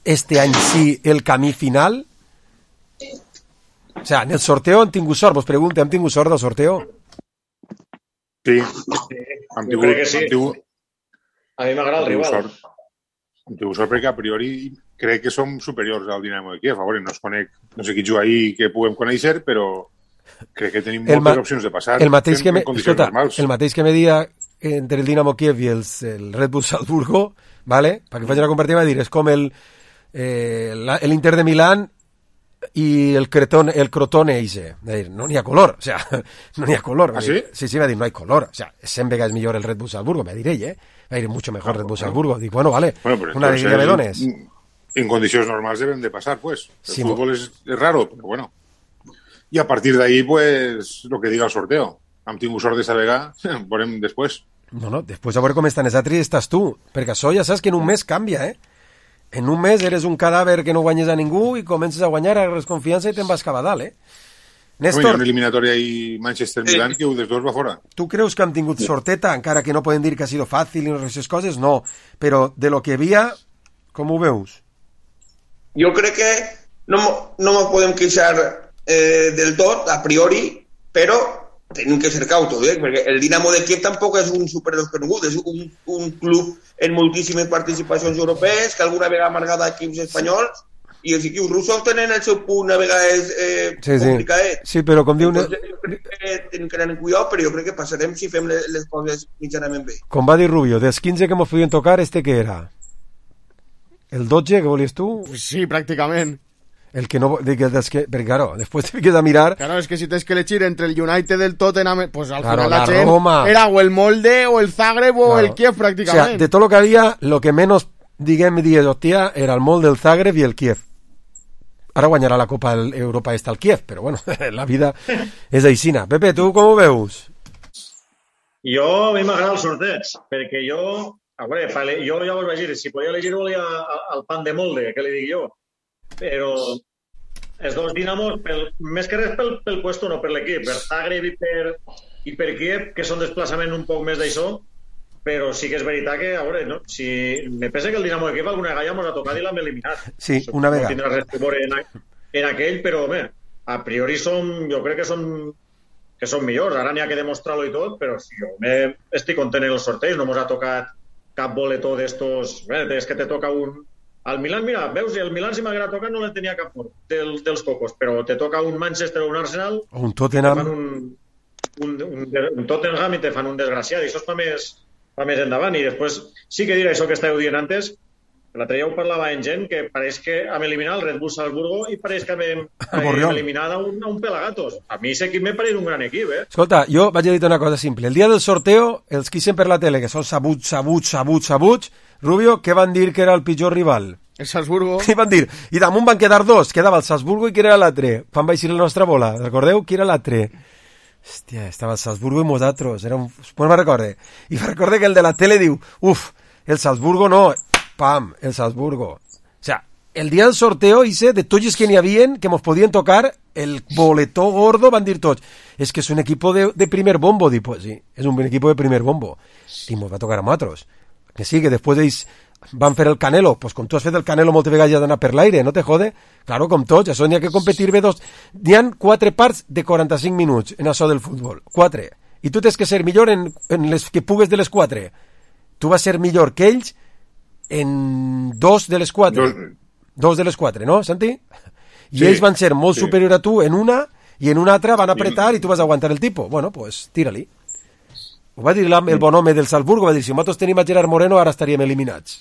este any sí el camí final? O sea, en el sorteo han tingut sort, vos pregunte, han tingut sort del sorteo? Sí, hem tingut, que sí. hem tingut, a mi m'agrada el rival. Sort. Hem tingut sort perquè a priori crec que som superiors al Dinamo de Kiev. A veure, no es conec, no sé qui juga ahí que puguem conèixer, però crec que tenim moltes ma- opcions de passar el mateix que en, me, en condicions escolta, normals. el mateix que me dia entre el Dinamo Kiev i els, el Red Bull Salzburgo, ¿vale? Para que faci una comparativa, dir, és com el eh, la, el Inter de Milán i el Crotone, el Crotone ese. Dir, no n'hi ha color, o sea, no n'hi ha color. ¿Ah, sí? Sí, sí, va dir, no hay color. O sea, cent vegades millor el Red Bull Salzburgo, me diré, ¿eh? Va dir, mucho mejor ah, Red Bull Salzburgo. Dic, bueno, vale, bueno, pero una alegría me dones. En, en condicions normals deben de pasar, pues. El sí, fútbol es, es raro, pero bueno. Y a partir de ahí, pues, lo que diga el sorteo. Hem tingut sort d'esta vegada, veurem després. No, no, després a veure com estan els altres estàs tu, perquè això ja saps que en un mes canvia, eh? En un mes eres un cadàver que no guanyes a ningú i comences a guanyar, agarres confiança i te'n vas cap a dalt, eh? Néstor... Hi ha una eliminatòria ahí Manchester-Milan que un dels dos va fora. Tu creus que han tingut sorteta, encara que no poden dir que ha sido fàcil i no aquestes coses? No, però de lo que hi havia, com ho veus? Jo crec que no, no me podem queixar eh, del tot, a priori, però tenim que ser cautos, eh? Perquè el Dinamo de Kiev tampoc és un superdesconegut, és un, un club en moltíssimes participacions europees, que alguna vegada ha amargat equips espanyols, i els equips russos tenen el seu punt a vegades eh, sí, sí. complicat. Sí, però com diu... Entonces, jo crec que tenim que anar en cuidado, però jo crec que passarem si fem les, les coses mitjanament bé. Com va dir Rubio, dels quinze que mos podien tocar, este què era? El dotze que volies tu? Sí, pràcticament. El que no... Dic, dels que, perquè, claro, després te fiques a mirar... Claro, es que si tens que elegir entre el United del Tottenham, pues al claro, final la, la gent Roma. Era o el Molde, o el Zagreb, o claro. el Kiev, pràcticament. O sea, de tot lo que havia, lo que menos, diguem, dies, hòstia, era el Molde, el Zagreb i el Kiev. Ara guanyarà la Copa Europa esta al Kiev, però bueno, la vida és aixina. Pepe, tu com ho veus? Jo, a mi m'agrada el sorteig, perquè jo... A veure, jo ja vos vaig dir, si podia elegir volia el pan de molde, que li dic jo. Però els dos Dinamos, pel, més que res pel, pel puesto, no per l'equip, per Zagreb i per, i per Kiev, que són desplaçament un poc més d'això, però sí que és veritat que, a veure, no? Si me pensa que el Dinamo de Kiev alguna vegada ja mos ha tocat i l'hem eliminat. Sí, una vegada. No tindrà res que veure en, en aquell, però, bé, a priori som, jo crec que són que són millors, ara n'hi ha que demostrar-lo i tot, però si jo me, estic content en els sorteis, no mos ha tocat cap boletó d'estos, bé, és que te toca un... Al Milan, mira, veus, el Milan si m'haguera tocat no le tenia cap por del, dels cocos, però te toca un Manchester o un Arsenal... O un Tottenham... Un, un, un, un Tottenham i te fan un desgraciat, i això es fa més, fa més endavant, i després sí que diré això que estàveu dient antes, l'altre dia ho parlava en gent, que pareix que hem eliminat el Red Bull Salzburgo i pareix que hem, hem eliminat a un, a un Pelagatos. A mi aquest equip me pareix un gran equip, eh? Escolta, jo vaig a dir una cosa simple. El dia del sorteo, els que eixen per la tele, que són sabuts, sabuts, sabuts, sabuts, Rubio, què van dir que era el pitjor rival? El Salzburgo. Què van dir? I damunt van quedar dos, quedava el Salzburgo i qui era l'altre. Quan va eixir la nostra bola, recordeu? Qui era l'altre? Hòstia, estava el Salzburgo i nosaltres. Era un... Pues me'n recorde. I me'n recorde que el de la tele diu, uf, el Salzburgo no, pam, el Salzburgo. O sea, el dia del sorteo hice de tots els que n'hi havien, que mos podien tocar, el boletó gordo, van dir tots, és que és un equip de, de primer bombo, dic, pues sí, és un equip de primer bombo. I mos va tocar a nosaltres. Que sí, que després ells van fer el Canelo, pues com tu has fet el Canelo moltes vegades ja d'anar per l'aire, no te jode? Claro, com tots, això n'hi ha que competir bé dos. N'hi ha quatre parts de quaranta-cinc minuts en això del futbol, quatre. I tu tens que ser millor en, en les que pugues de les quatre. Tu vas ser millor que ells en dos de les quatre. Dos, dos de les quatre, no, Santi? I sí, ells van ser molt sí. superior a tu en una, i en una altra van apretar i tu vas aguantar el tipo. Bueno, pues tira-li. Ho va dir el bon home del Salzburgo, va dir, si nosaltres tenim a Gerard Moreno ara estaríem eliminats.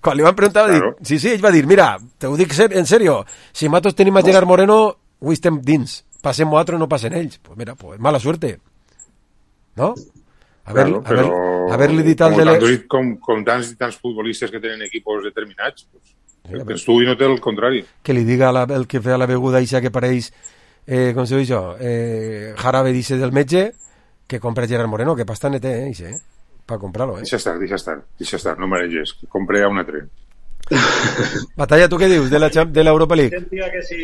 Quan li van preguntar, va dir, claro. sí, sí, ell va dir, mira, te ho dic en serio, si nosaltres tenim a Gerard Moreno, avui estem dins, passem nosaltres, no passen ells. Pues mira, pues mala suerte. ¿No? A ver, claro, a ver, però haver-li dit al com, de... tantos, com, com tants i tants futbolistes que tenen equipos determinats, pues, el que tu i no té el contrari. Que li diga la, el que fa la beguda ixa que pareix, eh, com se diu això, eh, jarabe dice del metge, que compre Gerard Moreno, que pasta té, eh, eh? Per comprar-lo, eh? Deixa estar, deixa estar, deixa estar, no mareges, que compre a un altre. Batalla, tu què dius de la de l'Europa League? Sentia que si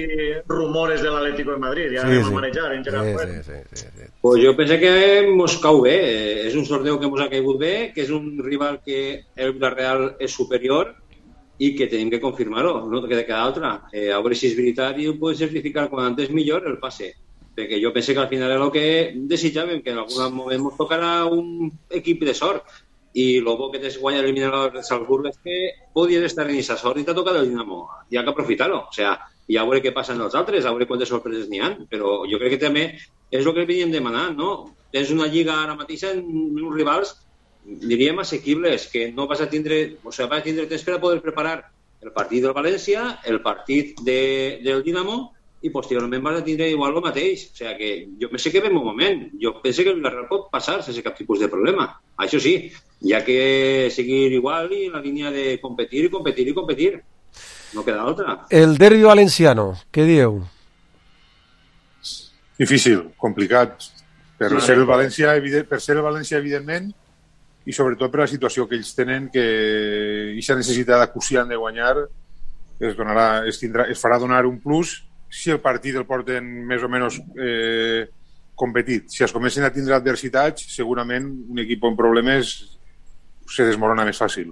rumores de l'Atlético de Madrid, ja Sí, anem sí. a manejar en Gerard Sí, Moreno. sí, sí, sí. Pues jo pense que mos cau bé. Eh, És un sorteu que mos ha caigut bé, que és un rival que el Villarreal és superior i que tenim que confirmar-ho, no queda cada altra. Eh, a veure si és veritat i ho podem certificar quan antes millor el passe. Perquè jo pense que al final és el que desitjàvem, que en algun moment ens tocarà un equip de sort. I el bo que t'es guanyar eliminar el Salzburg és que podies estar en aquesta sort i t'ha tocat el Dinamo. Hi ha que aprofitar-ho. O sea, i a veure què passa en els altres, a veure quantes sorpreses n'hi ha. Però jo crec que també és el que veníem demanant, no? Tens una lliga ara mateix en uns rivals, diríem, assequibles, que no vas a tindre, o sea, vas a tindre temps per a poder preparar el partit del València, el partit de, del Dinamo, i posteriorment vas a tindre igual el mateix. O sigui que jo penso que ve un moment. Jo penso que el Villarreal pot passar sense cap tipus de problema. Això sí, hi ha que seguir igual i en la línia de competir i competir i competir. No queda altra. El derbi valenciano, què dieu? Difícil, complicat. Per Sí. ser el València, evident, per ser el València, evidentment, i sobretot per la situació que ells tenen, que aquesta necessitat acuciant de guanyar es, donarà, es, tindrà, es farà donar un plus si el partit el porten més o menys eh, competit. Si es comencen a tindre adversitats, segurament un equip amb problemes se desmorona més fàcil.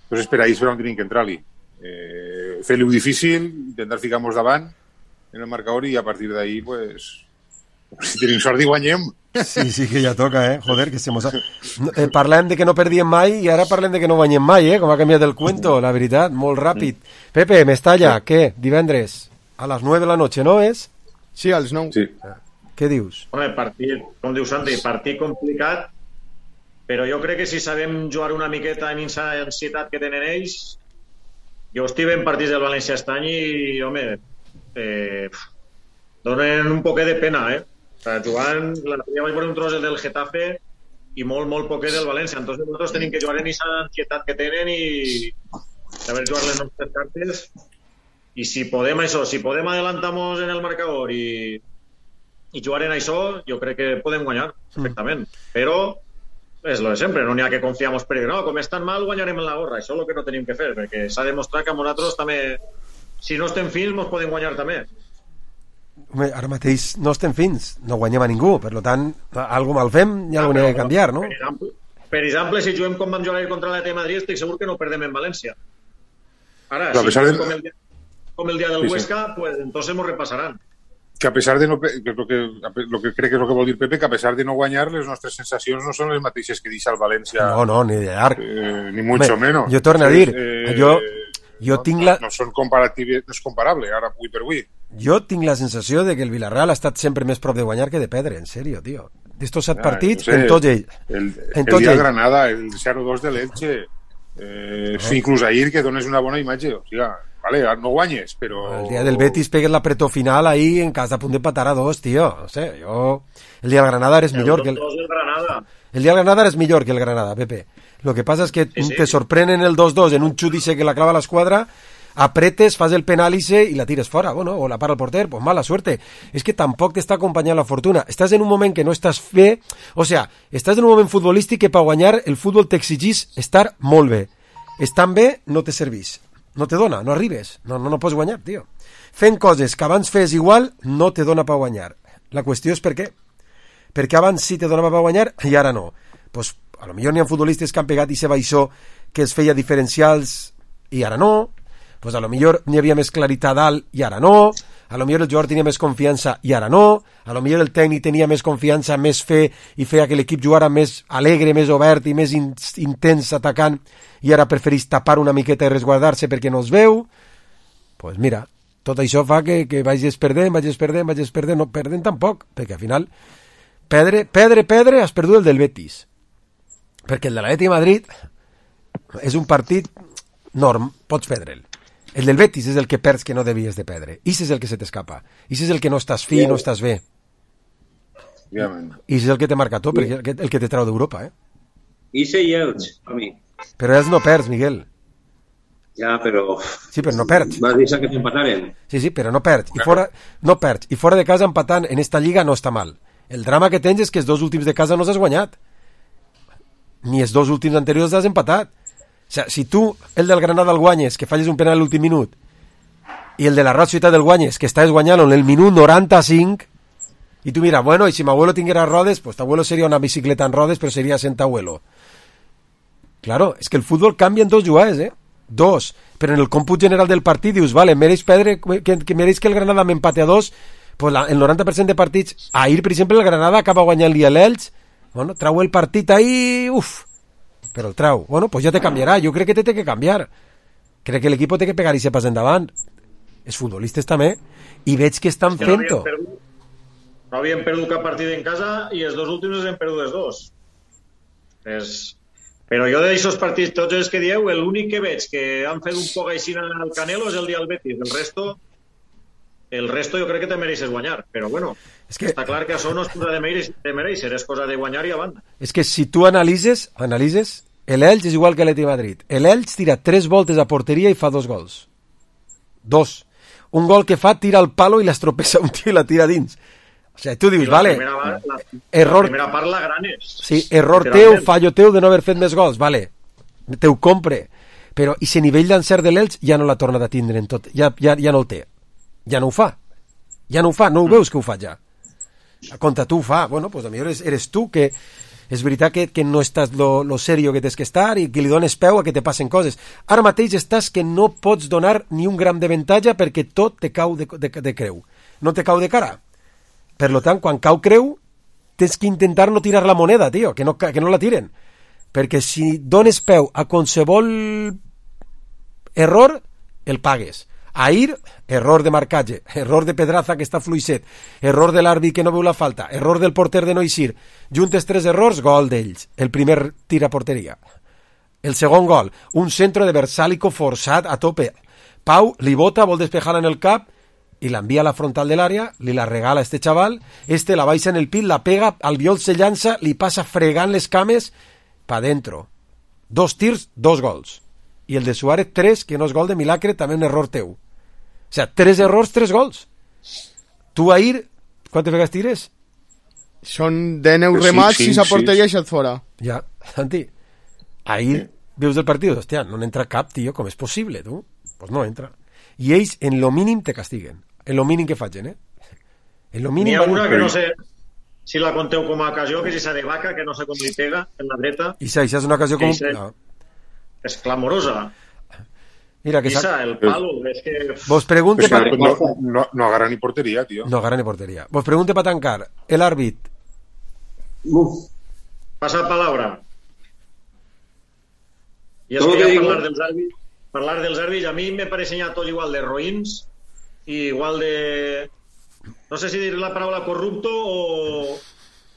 Entonces, per ahí és per on tenim que entrar-li. Eh, fer-li-ho difícil, intentar ficar-nos davant en el marcador i a partir d'ahí, pues, si tenim sort i guanyem. Sí, sí, que ja toca, eh? Joder, que se mos ha... No, eh, parlem de que no perdíem mai i ara parlem de que no guanyem mai, eh? Com ha canviat el cuento, la veritat, molt ràpid. Pepe, Mestalla, què? Divendres a les nueve de la noche, no és? Sí, a les nou. Sí. Què dius? Home, partit, com diu Santi, partit complicat, però jo crec que si sabem jugar una miqueta en aquesta ansietat que tenen ells, jo estic en partits del València aquest any i, home, eh, donen un poquet de pena, eh? O sea, jugant, l'altre dia vaig veure un tros del Getafe i molt, molt poquet del València. Entonces nosaltres tenim que jugar en aquesta ansietat que tenen i saber jugar les nostres cartes. I si podem això, si podem adelantar-nos en el marcador i, i jugar en això, jo crec que podem guanyar perfectament. Mm. Però és lo de sempre, no n'hi ha que confiar-nos per dir, no, com és tan mal guanyarem en la gorra. Això és el que no tenim que fer, perquè s'ha demostrat que a nosaltres també, si no estem fins, ens podem guanyar també. Home, ara mateix no estem fins, no guanyem a ningú, per tant, algo mal fem i algo ah, n'hi ha que canviar, no? Per exemple, per exemple, si juguem com vam jugar contra l'Atlètic de Madrid, estic segur que no perdem en València. Ara, Però si de... com el, com el dia del sí, Huesca, sí. pues entonces nos repasarán. Que a pesar de no, que es lo que, lo que crec que és el que vol dir Pepe, que a pesar de no guanyar, les nostres sensacions no són les mateixes que deixa el València. No, no, ni de llarg. Eh, ni mucho Home, menos. Jo torno a dir, eh, jo, jo no, tinc la... No, no són comparatives, no és comparable, ara avui per avui. Jo tinc la sensació de que el Villarreal ha estat sempre més prop de guanyar que de perdre, en sèrio, tio. D'estos set ja, partits, no sé, en tots ells. El, en el tots dia de ells. Granada, el zero dos de l'Elche, eh, no. Inclús ahir que dones una bona imatge, o sigui, vale, no guanyes, però... El dia del Betis pegues l'apretó final ahí en cas de punt d'empatar a dos, tio. No sé, jo... El dia del Granada eres millor que el... El Granada. El dia del Granada eres millor que el Granada, Pepe. Lo que pasa es que sí, sí. te sorprenen el dos dos en un xudice que la clava l'esquadra, apretes, fas el penàlice i la tires fora, bueno, o la para el porter, pues mala suerte. És que tampoc t'està acompanyant la fortuna. Estàs en un moment que no estàs bé, o sea, estàs en un moment futbolístic que per guanyar el futbol t'exigís estar molt bé. Estant bé no te servís, no te dona, no arribes, no, no, no pots guanyar, tio. Fent coses que abans fes igual no te dona per guanyar. La qüestió és per què. Perquè abans sí te donava per guanyar i ara no. Pues, a lo millor n'hi ha futbolistes que han pegat i se baixó que es feia diferencials i ara no. Pues a lo millor n'hi havia més claritat dalt i ara no, a lo millor el jugador tenia més confiança i ara no, a lo millor el tècnic tenia més confiança, més fe i feia que l'equip jugara més alegre, més obert i més in intens atacant i ara preferís tapar una miqueta i resguardar-se perquè no es veu. Pues mira, tot això fa que, que vagis perdent, vagis perdent, vagis perdent, no perdent tampoc, perquè al final perdre, perdre, perdre, has perdut el del Betis, perquè el de l'Atlètic de Madrid és un partit norm, pots perdre'l. El del Betis és el que perds que no devies de perdre. Ix és el que se t'escapa. Ix és el que no estàs fi, no estàs bé. Ix és el que te marca tot, perquè el que te trau d'Europa, eh? Ix i Elx, a mi. Però ells no perds, Miguel. Ja, però... Sí, però no perds. Vas deixar que t'empataren. Sí, sí, però no perds. I fora, no perds. I fora de casa empatant en esta lliga no està mal. El drama que tens és que els dos últims de casa no s'has guanyat. Ni els dos últims anteriors has empatat. O sigui, si tu, el del Granada el guanyes, que falles un penal a l'últim minut, i el de la Real Societat el guanyes, que estàs guanyant en el minut noranta-cinc, i tu mira, bueno, i si m'abuelo tinguera rodes, pues t'abuelo seria una bicicleta en rodes, però seria sent abuelo. Claro, és que el futbol canvia en dos jugades, eh? Dos. Però en el còmput general del partit dius, vale, mereix perdre, que, que mereix que el Granada m'empate a dos, pues la, el noranta per cent de partits, ahir, per exemple, el Granada acaba guanyant-li a l'Elx, bueno, trau el partit ahí, uf, però el trau. Bueno, pues ja te canviarà, jo crec que te té que canviar. Crec que l'equip té que pegar i se pas endavant. Els futbolistes també, i veig que estan no fent-ho. No havien perdut cap partit en casa i els dos últims els hem perdut els dos. És... Però jo d'aixòs partits, tots els que dieu, l'únic que veig que han fet un poc així al Canelo és el dia del Betis. El resto, el resto jo crec que te mereixes guanyar. Però bueno, és que... està clar que això no és cosa de mereixer, de mereixer, és cosa de guanyar i a banda. És que si tu analitzes, analitzes, l'Elx és igual que l'Atleti de Madrid. L'Elx tira tres voltes a porteria i fa dos gols. Dos. Un gol que fa, tira al palo i l'estropessa un tio i la tira dins. O sigui, tu dius, vale, primera, la, error... la primera part la gran és. Sí, error teu, fallo teu de no haver fet més gols, vale, te ho compre. Però, i si nivell d'encert de l'Elx ja no l'ha tornat a tindre en tot, ja, ja, ja no el té. Ja no ho fa. Ja no ho fa, no ho veus que ho fa ja. Contra tu ho fa. Bueno, pues a millor eres, eres tu que... És veritat que, que no estàs lo, lo serio que tens que estar i que li dones peu a que te passen coses. Ara mateix estàs que no pots donar ni un gram d'avantatge perquè tot te cau de, de, de creu. No te cau de cara. Per lo tant, quan cau creu, tens que intentar no tirar la moneda, tio, que no, que no la tiren. Perquè si dones peu a qualsevol error, el pagues. Ahir, error de marcatge, error de Pedraza que està fluixet, error de l'àrbit que no veu la falta, error del porter de no eixir. Juntes tres errors, gol d'ells. El primer tira a porteria. El segon gol, un centre de Versálico forçat a tope. Pau li bota, vol despejar-la en el cap, i l'envia a la frontal de l'àrea, li la regala a este xaval, este la baixa en el pit, la pega, Albiol se llança, li passa fregant les cames, pa dentro. Dos tirs, dos gols. I el de Suárez, tres, que no és gol de milagre, també un error teu. O sea, tres errors, tres gols. Tu ahir, quantes vegades tires? Són de nou remats, sis a porteria i set fora. Ja, Santi, ahir veus el partit, hòstia, no n'entra cap, tio, com és possible, tu? Pues no entra. I ells, en lo mínim, te castiguen. En lo mínim que facin, eh? En lo mínim... N'hi ha una que no sé si la conteu com a ocasió, que és esa de Vaca, que no sé com li pega, en la dreta. I això és una ocasió com... No. És clamorosa. Mira que Esa, el palo, és que... Vos pregunte... Pues pa... no, no, no agarra ni porteria, tio. No agarra ni porteria. Vos pregunte para tancar. El árbit. Uf. Pasa palabra. I és que ja parlar dels àrbits, parlar dels àrbits, a mi me pareixen ja tots igual de roïns i igual de... No sé si dir la paraula corrupto o,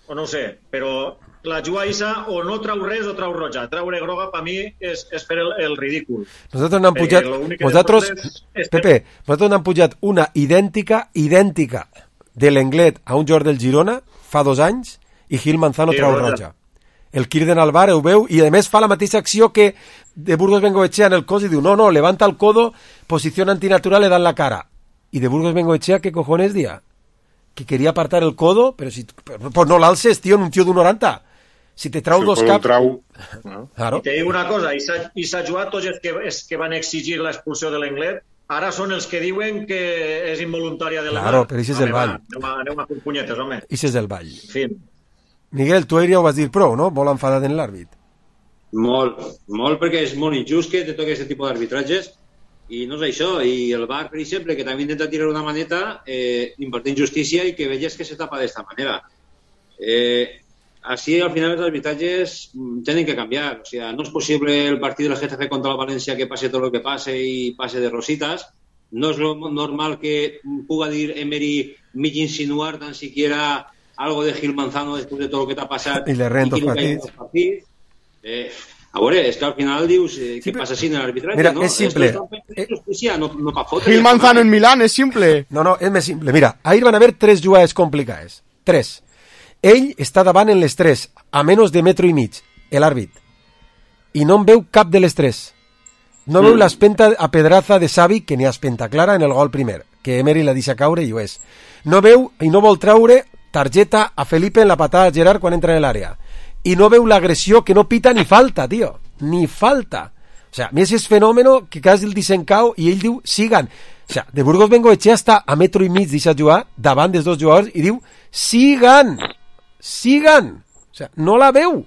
o no ho sé, però la jugaïssa o no trau res o trau roja. Traure groga per mi és, és fer el, el ridícul. Nosaltres n'han pujat... Vosaltres, és... Pepe, nosaltres n'han pujat una idèntica, idèntica de l'Englet a un jugador del Girona fa dos anys i Gil Manzano sí, trau roja. roja. El Kirden Alvar ho veu i a més fa la mateixa acció que de Burgos Bengoechea en el cos i diu no, no, levanta el codo, posició antinatural, le dan la cara. I de Burgos Bengoechea, ¿qué cojones dia? Que quería apartar el codo, pero si pues no l'alces, tío, en un tío d'un noranta. Si te trau si dos caps... Trau... No. Claro. I te dic una cosa, i s'ha jugat tots els que, els que van exigir l'expulsió de l'Englet, ara són els que diuen que és involuntària de la Claro, però això és el ball. Aneu a fer punyetes, home. Això és el ball. En fi. Miguel, tu ahir ja ho vas dir prou, no? Molt enfadat en l'àrbit. Molt, molt, perquè és molt injust que te toqui aquest tipus d'arbitratges i no és això, i el V A R, per exemple, que també intenta tirar una maneta eh, impartint justícia i que veies que se tapa d'esta manera. Eh, així, al final, els arbitratges tenen que canviar. O sigui, no és possible el partit del Getafe contra la València que passe tot el que passe i passe de rositas. No és lo normal que puga dir Emery mig insinuar tan siquiera algo de Gil Manzano després de tot el que t'ha passat i le rento els partits. partits. Eh, a veure, és que al final dius eh, sí, què passa així en l'arbitratge, mira, no? És simple. Justícia, no, no pa fotre. Gil Manzano en Milán, és simple. No, no, és més simple. Mira, ahir van haver tres jugades complicades. Tres. Ell està davant en les tres, a menys de metro i mig, l'àrbit. I no en veu cap de les tres. No veu mm. l'espenta a Pedraza de Xavi, que n'hi ha espenta clara en el gol primer, que Emery la deixa caure i ho és. No veu i no vol traure targeta a Felipe en la patada de Gerard quan entra en l'àrea. I no veu l'agressió que no pita ni falta, tio. Ni falta. O sea, Messi és fenòmeno que quasi el disencau i ell diu, sigan. O sea, de Burgos Bengoechea està a metro i mig deixat jugar davant dels dos jugadors i diu, sigan. Sigan. O sea, no la veu.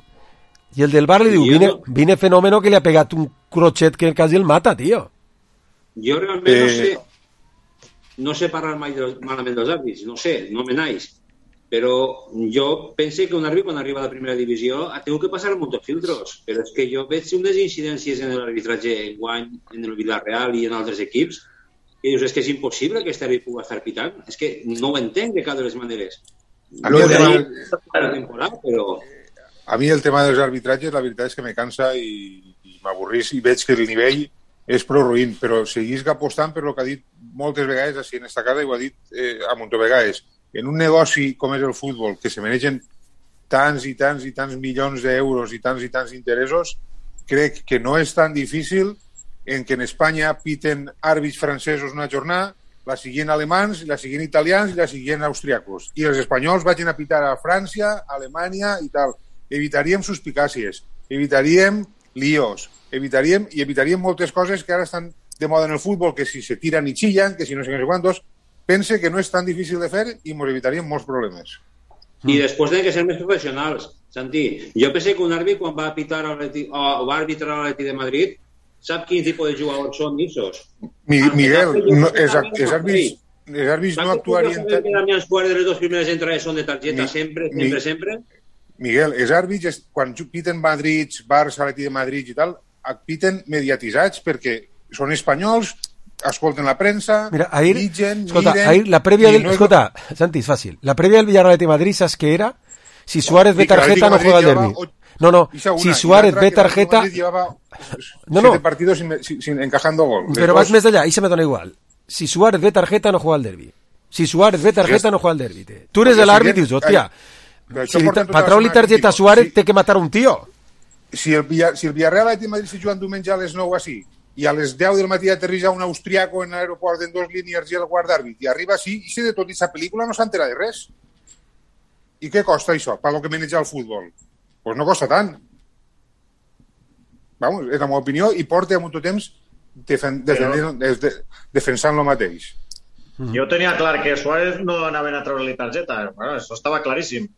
I el del bar li diu, vine, vine fenòmeno que li ha pegat un crochet que quasi el mata, tio. Jo realment eh... no sé no sé parlar mai de, malament dels àrbits, no sé, no me naix, però jo pense que un àrbit quan arriba a la primera divisió ha tingut que passar molts filtros, però és que jo veig unes incidències en l'arbitratge en guany, en el Villarreal i en altres equips, que dius, és que és impossible que aquest àrbit pugui estar pitant, és que no ho entenc de cada de les maneres. A mi el tema, temporada, però... a mi el tema dels arbitratges, la veritat és que me cansa i, i m'avorrís i veig que el nivell és prou ruïn, però seguís apostant per el que ha dit moltes vegades així en esta casa i ho ha dit eh, a munt de vegades. En un negoci com és el futbol, que se mereixen tants i tants i tants milions d'euros i tants i tants interessos, crec que no és tan difícil en que en Espanya piten àrbits francesos una jornada, la siguin alemans, la siguin italians i la siguin austriacos. I els espanyols vagin a pitar a França, a Alemanya i tal. Evitaríem suspicàcies, evitaríem líos, evitaríem i evitaríem moltes coses que ara estan de moda en el futbol, que si se tiran i chillan, que si no sé què quantos. Pense que no és tan difícil de fer i ens evitaríem molts problemes. I després tenen que ser més professionals, Santi. Jo pense que un àrbit quan va pitar o va arbitrar a l'Atlètic de Madrid sap quin tipus de jugadors són issos. Miguel, no, els àrbits els àrbits no actuarien... Que Damián Suárez de les dues primeres entrades són de targeta sempre, sempre, sempre? Miguel, els àrbits, quan piten Madrid, Barça, Atlètic de Madrid i tal, piten mediatitzats perquè són espanyols, escolten la premsa, Mira, ahir, digen, escolta, miren... Ahir, la prèvia del... No escolta, es... Santi, és fàcil. La prèvia del Villarreal de Madrid, saps què era? Si Suárez ve tarjeta, no juega el derbi. No, no, si Suárez ve tarjeta... No, no. partidos sin, sin encajando gol. Pero vas més d'allà, i se me dona igual. Si Suárez ve tarjeta, no juega el derbi. Si Suárez ve tarjeta, no juega el derbi. Tu eres l'àrbit i dius, hòstia, si per treure-li targeta a Suárez té que matar un tio. Si el, si el Villarreal de Madrid se juga diumenge a les nou així i a les deu del matí aterrissa un austriaco en l'aeroport en dos línies i el guard d'àrbit i arriba així, i si de tot aquesta pel·lícula no s'entera de res. I què costa això, per lo que maneja el futbol? Doncs pues no costa tant. Vamos, és la meva opinió i porta molt temps defen defendent, de defensant lo mateix. Jo tenia clar que Suárez no anaven a treure-li targeta. Bueno, això estava claríssim.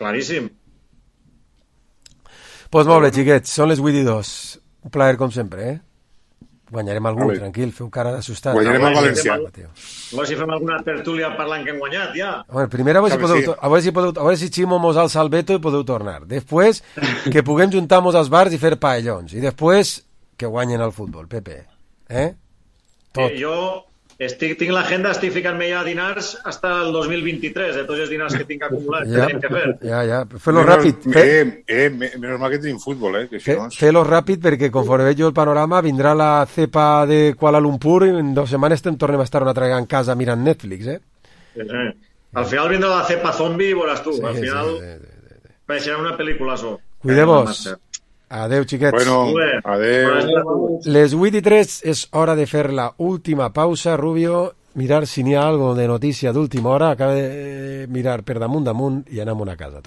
Claríssim. Pues molt bé, xiquets, són les vuit i dos. Un plaer com sempre, eh? Guanyarem algú, tranquil, feu cara d'assustat. Guanyarem el Valencià. A veure si fem alguna tertúlia parlant que hem guanyat, ja. A veure, primer a veure si podeu, a veure si podeu, a veure si Ximo mos alça el veto i podeu tornar. Després, que puguem juntar-nos als bars i fer paellons. I després, que guanyen el futbol, Pepe. Eh? Tot. Eh, jo estic, tinc l'agenda, estic ficant-me ja a dinars fins al dos mil vint-i-tres, de tots els dinars que tinc acumulats, ja, que tenim que fer. Ja, ja, fes-lo ràpid. Fe... Eh, eh, menys mal que tenim futbol, eh? Que si fe, no... Fes-lo ràpid perquè conforme veig jo el panorama vindrà la cepa de Kuala Lumpur i en dues setmanes tornem a estar una altra en casa mirant Netflix, eh? Sí, sí. Al final vindrà la cepa zombi i veuràs tu. Sí, al final sí, sí, sí, sí. Pareixerà una pel·lícula so. Cuideu-vos. Adeu, xiquets. Bueno, adeu. Les vuit i tres és hora de fer la última pausa, Rubio, mirar si n'hi ha algo de notícia d'última hora. Acaba de mirar per damunt damunt i anem a una casa.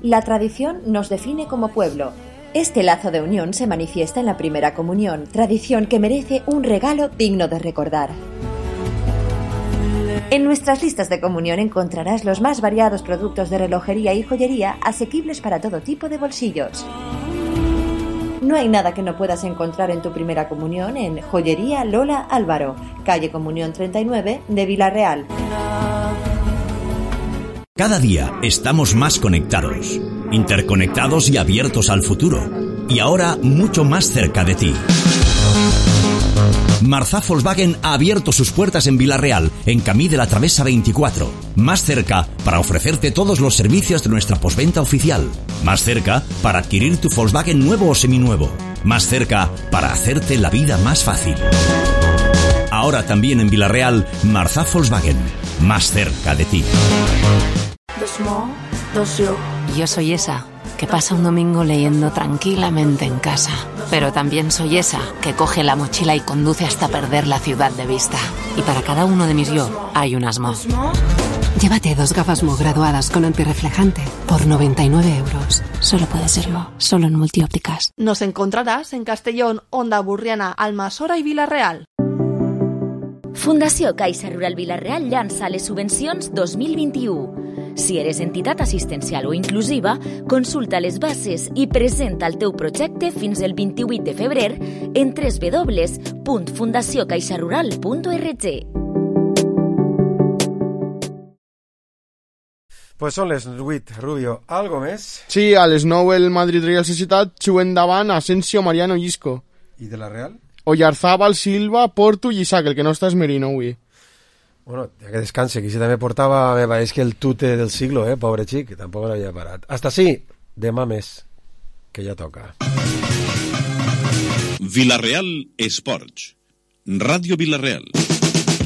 La tradición nos define como pueblo. Este lazo de unión se manifiesta en la primera comunión, tradición que merece un regalo digno de recordar. En nuestras listas de comunión encontrarás los más variados productos de relojería y joyería asequibles para todo tipo de bolsillos. No hay nada que no puedas encontrar en tu primera comunión en Joyería Lola Álvaro, calle Comunión treinta y nueve de Villarreal. Cada día estamos más conectados, interconectados y abiertos al futuro. Y ahora mucho más cerca de ti. Marzá Volkswagen ha abierto sus puertas en Villarreal, en Camí de la Travesa veinticuatro. Más cerca para ofrecerte todos los servicios de nuestra postventa oficial. Más cerca para adquirir tu Volkswagen nuevo o seminuevo. Más cerca para hacerte la vida más fácil. Ahora también en Villarreal, Marzá Volkswagen. Más cerca de ti. The small, the slow. Yo soy esa. que pasa un domingo leyendo tranquilamente en casa. Pero también soy esa que coge la mochila y conduce hasta perder la ciudad de vista. Y para cada uno de mis yo hay un Asmo. Llévate dos gafas Mo graduadas con antirreflejante por noventa y nueve euros. Solo puede ser Mo, solo en Multiópticas. Nos encontrarás en Castellón, Onda Burriana, Almassora i Vila-real. Fundació Caixa Rural Vila-real llança les subvencions dos mil vint-i-u. Si eres entitat assistencial o inclusiva, consulta les bases i presenta el teu projecte fins el vint-i-vuit de febrer en w w w punt fundació caixa rural punt org. Pues són les vuit, Rubio. Algo més? Sí, a les nou el Madrid Real Societat juguen davant Asensio, Mariano i Isco. I de la Real? Oyarzábal, Silva, Porto i Isaac, el que no està és Merino avui. Bueno, ja que descanse, que si també portava, me pareix que el tute del siglo, eh, pobre xic, que tampoc l'havia parat. Hasta sí, demà més, que ja toca. Vila-real Esports. Ràdio Vila-real.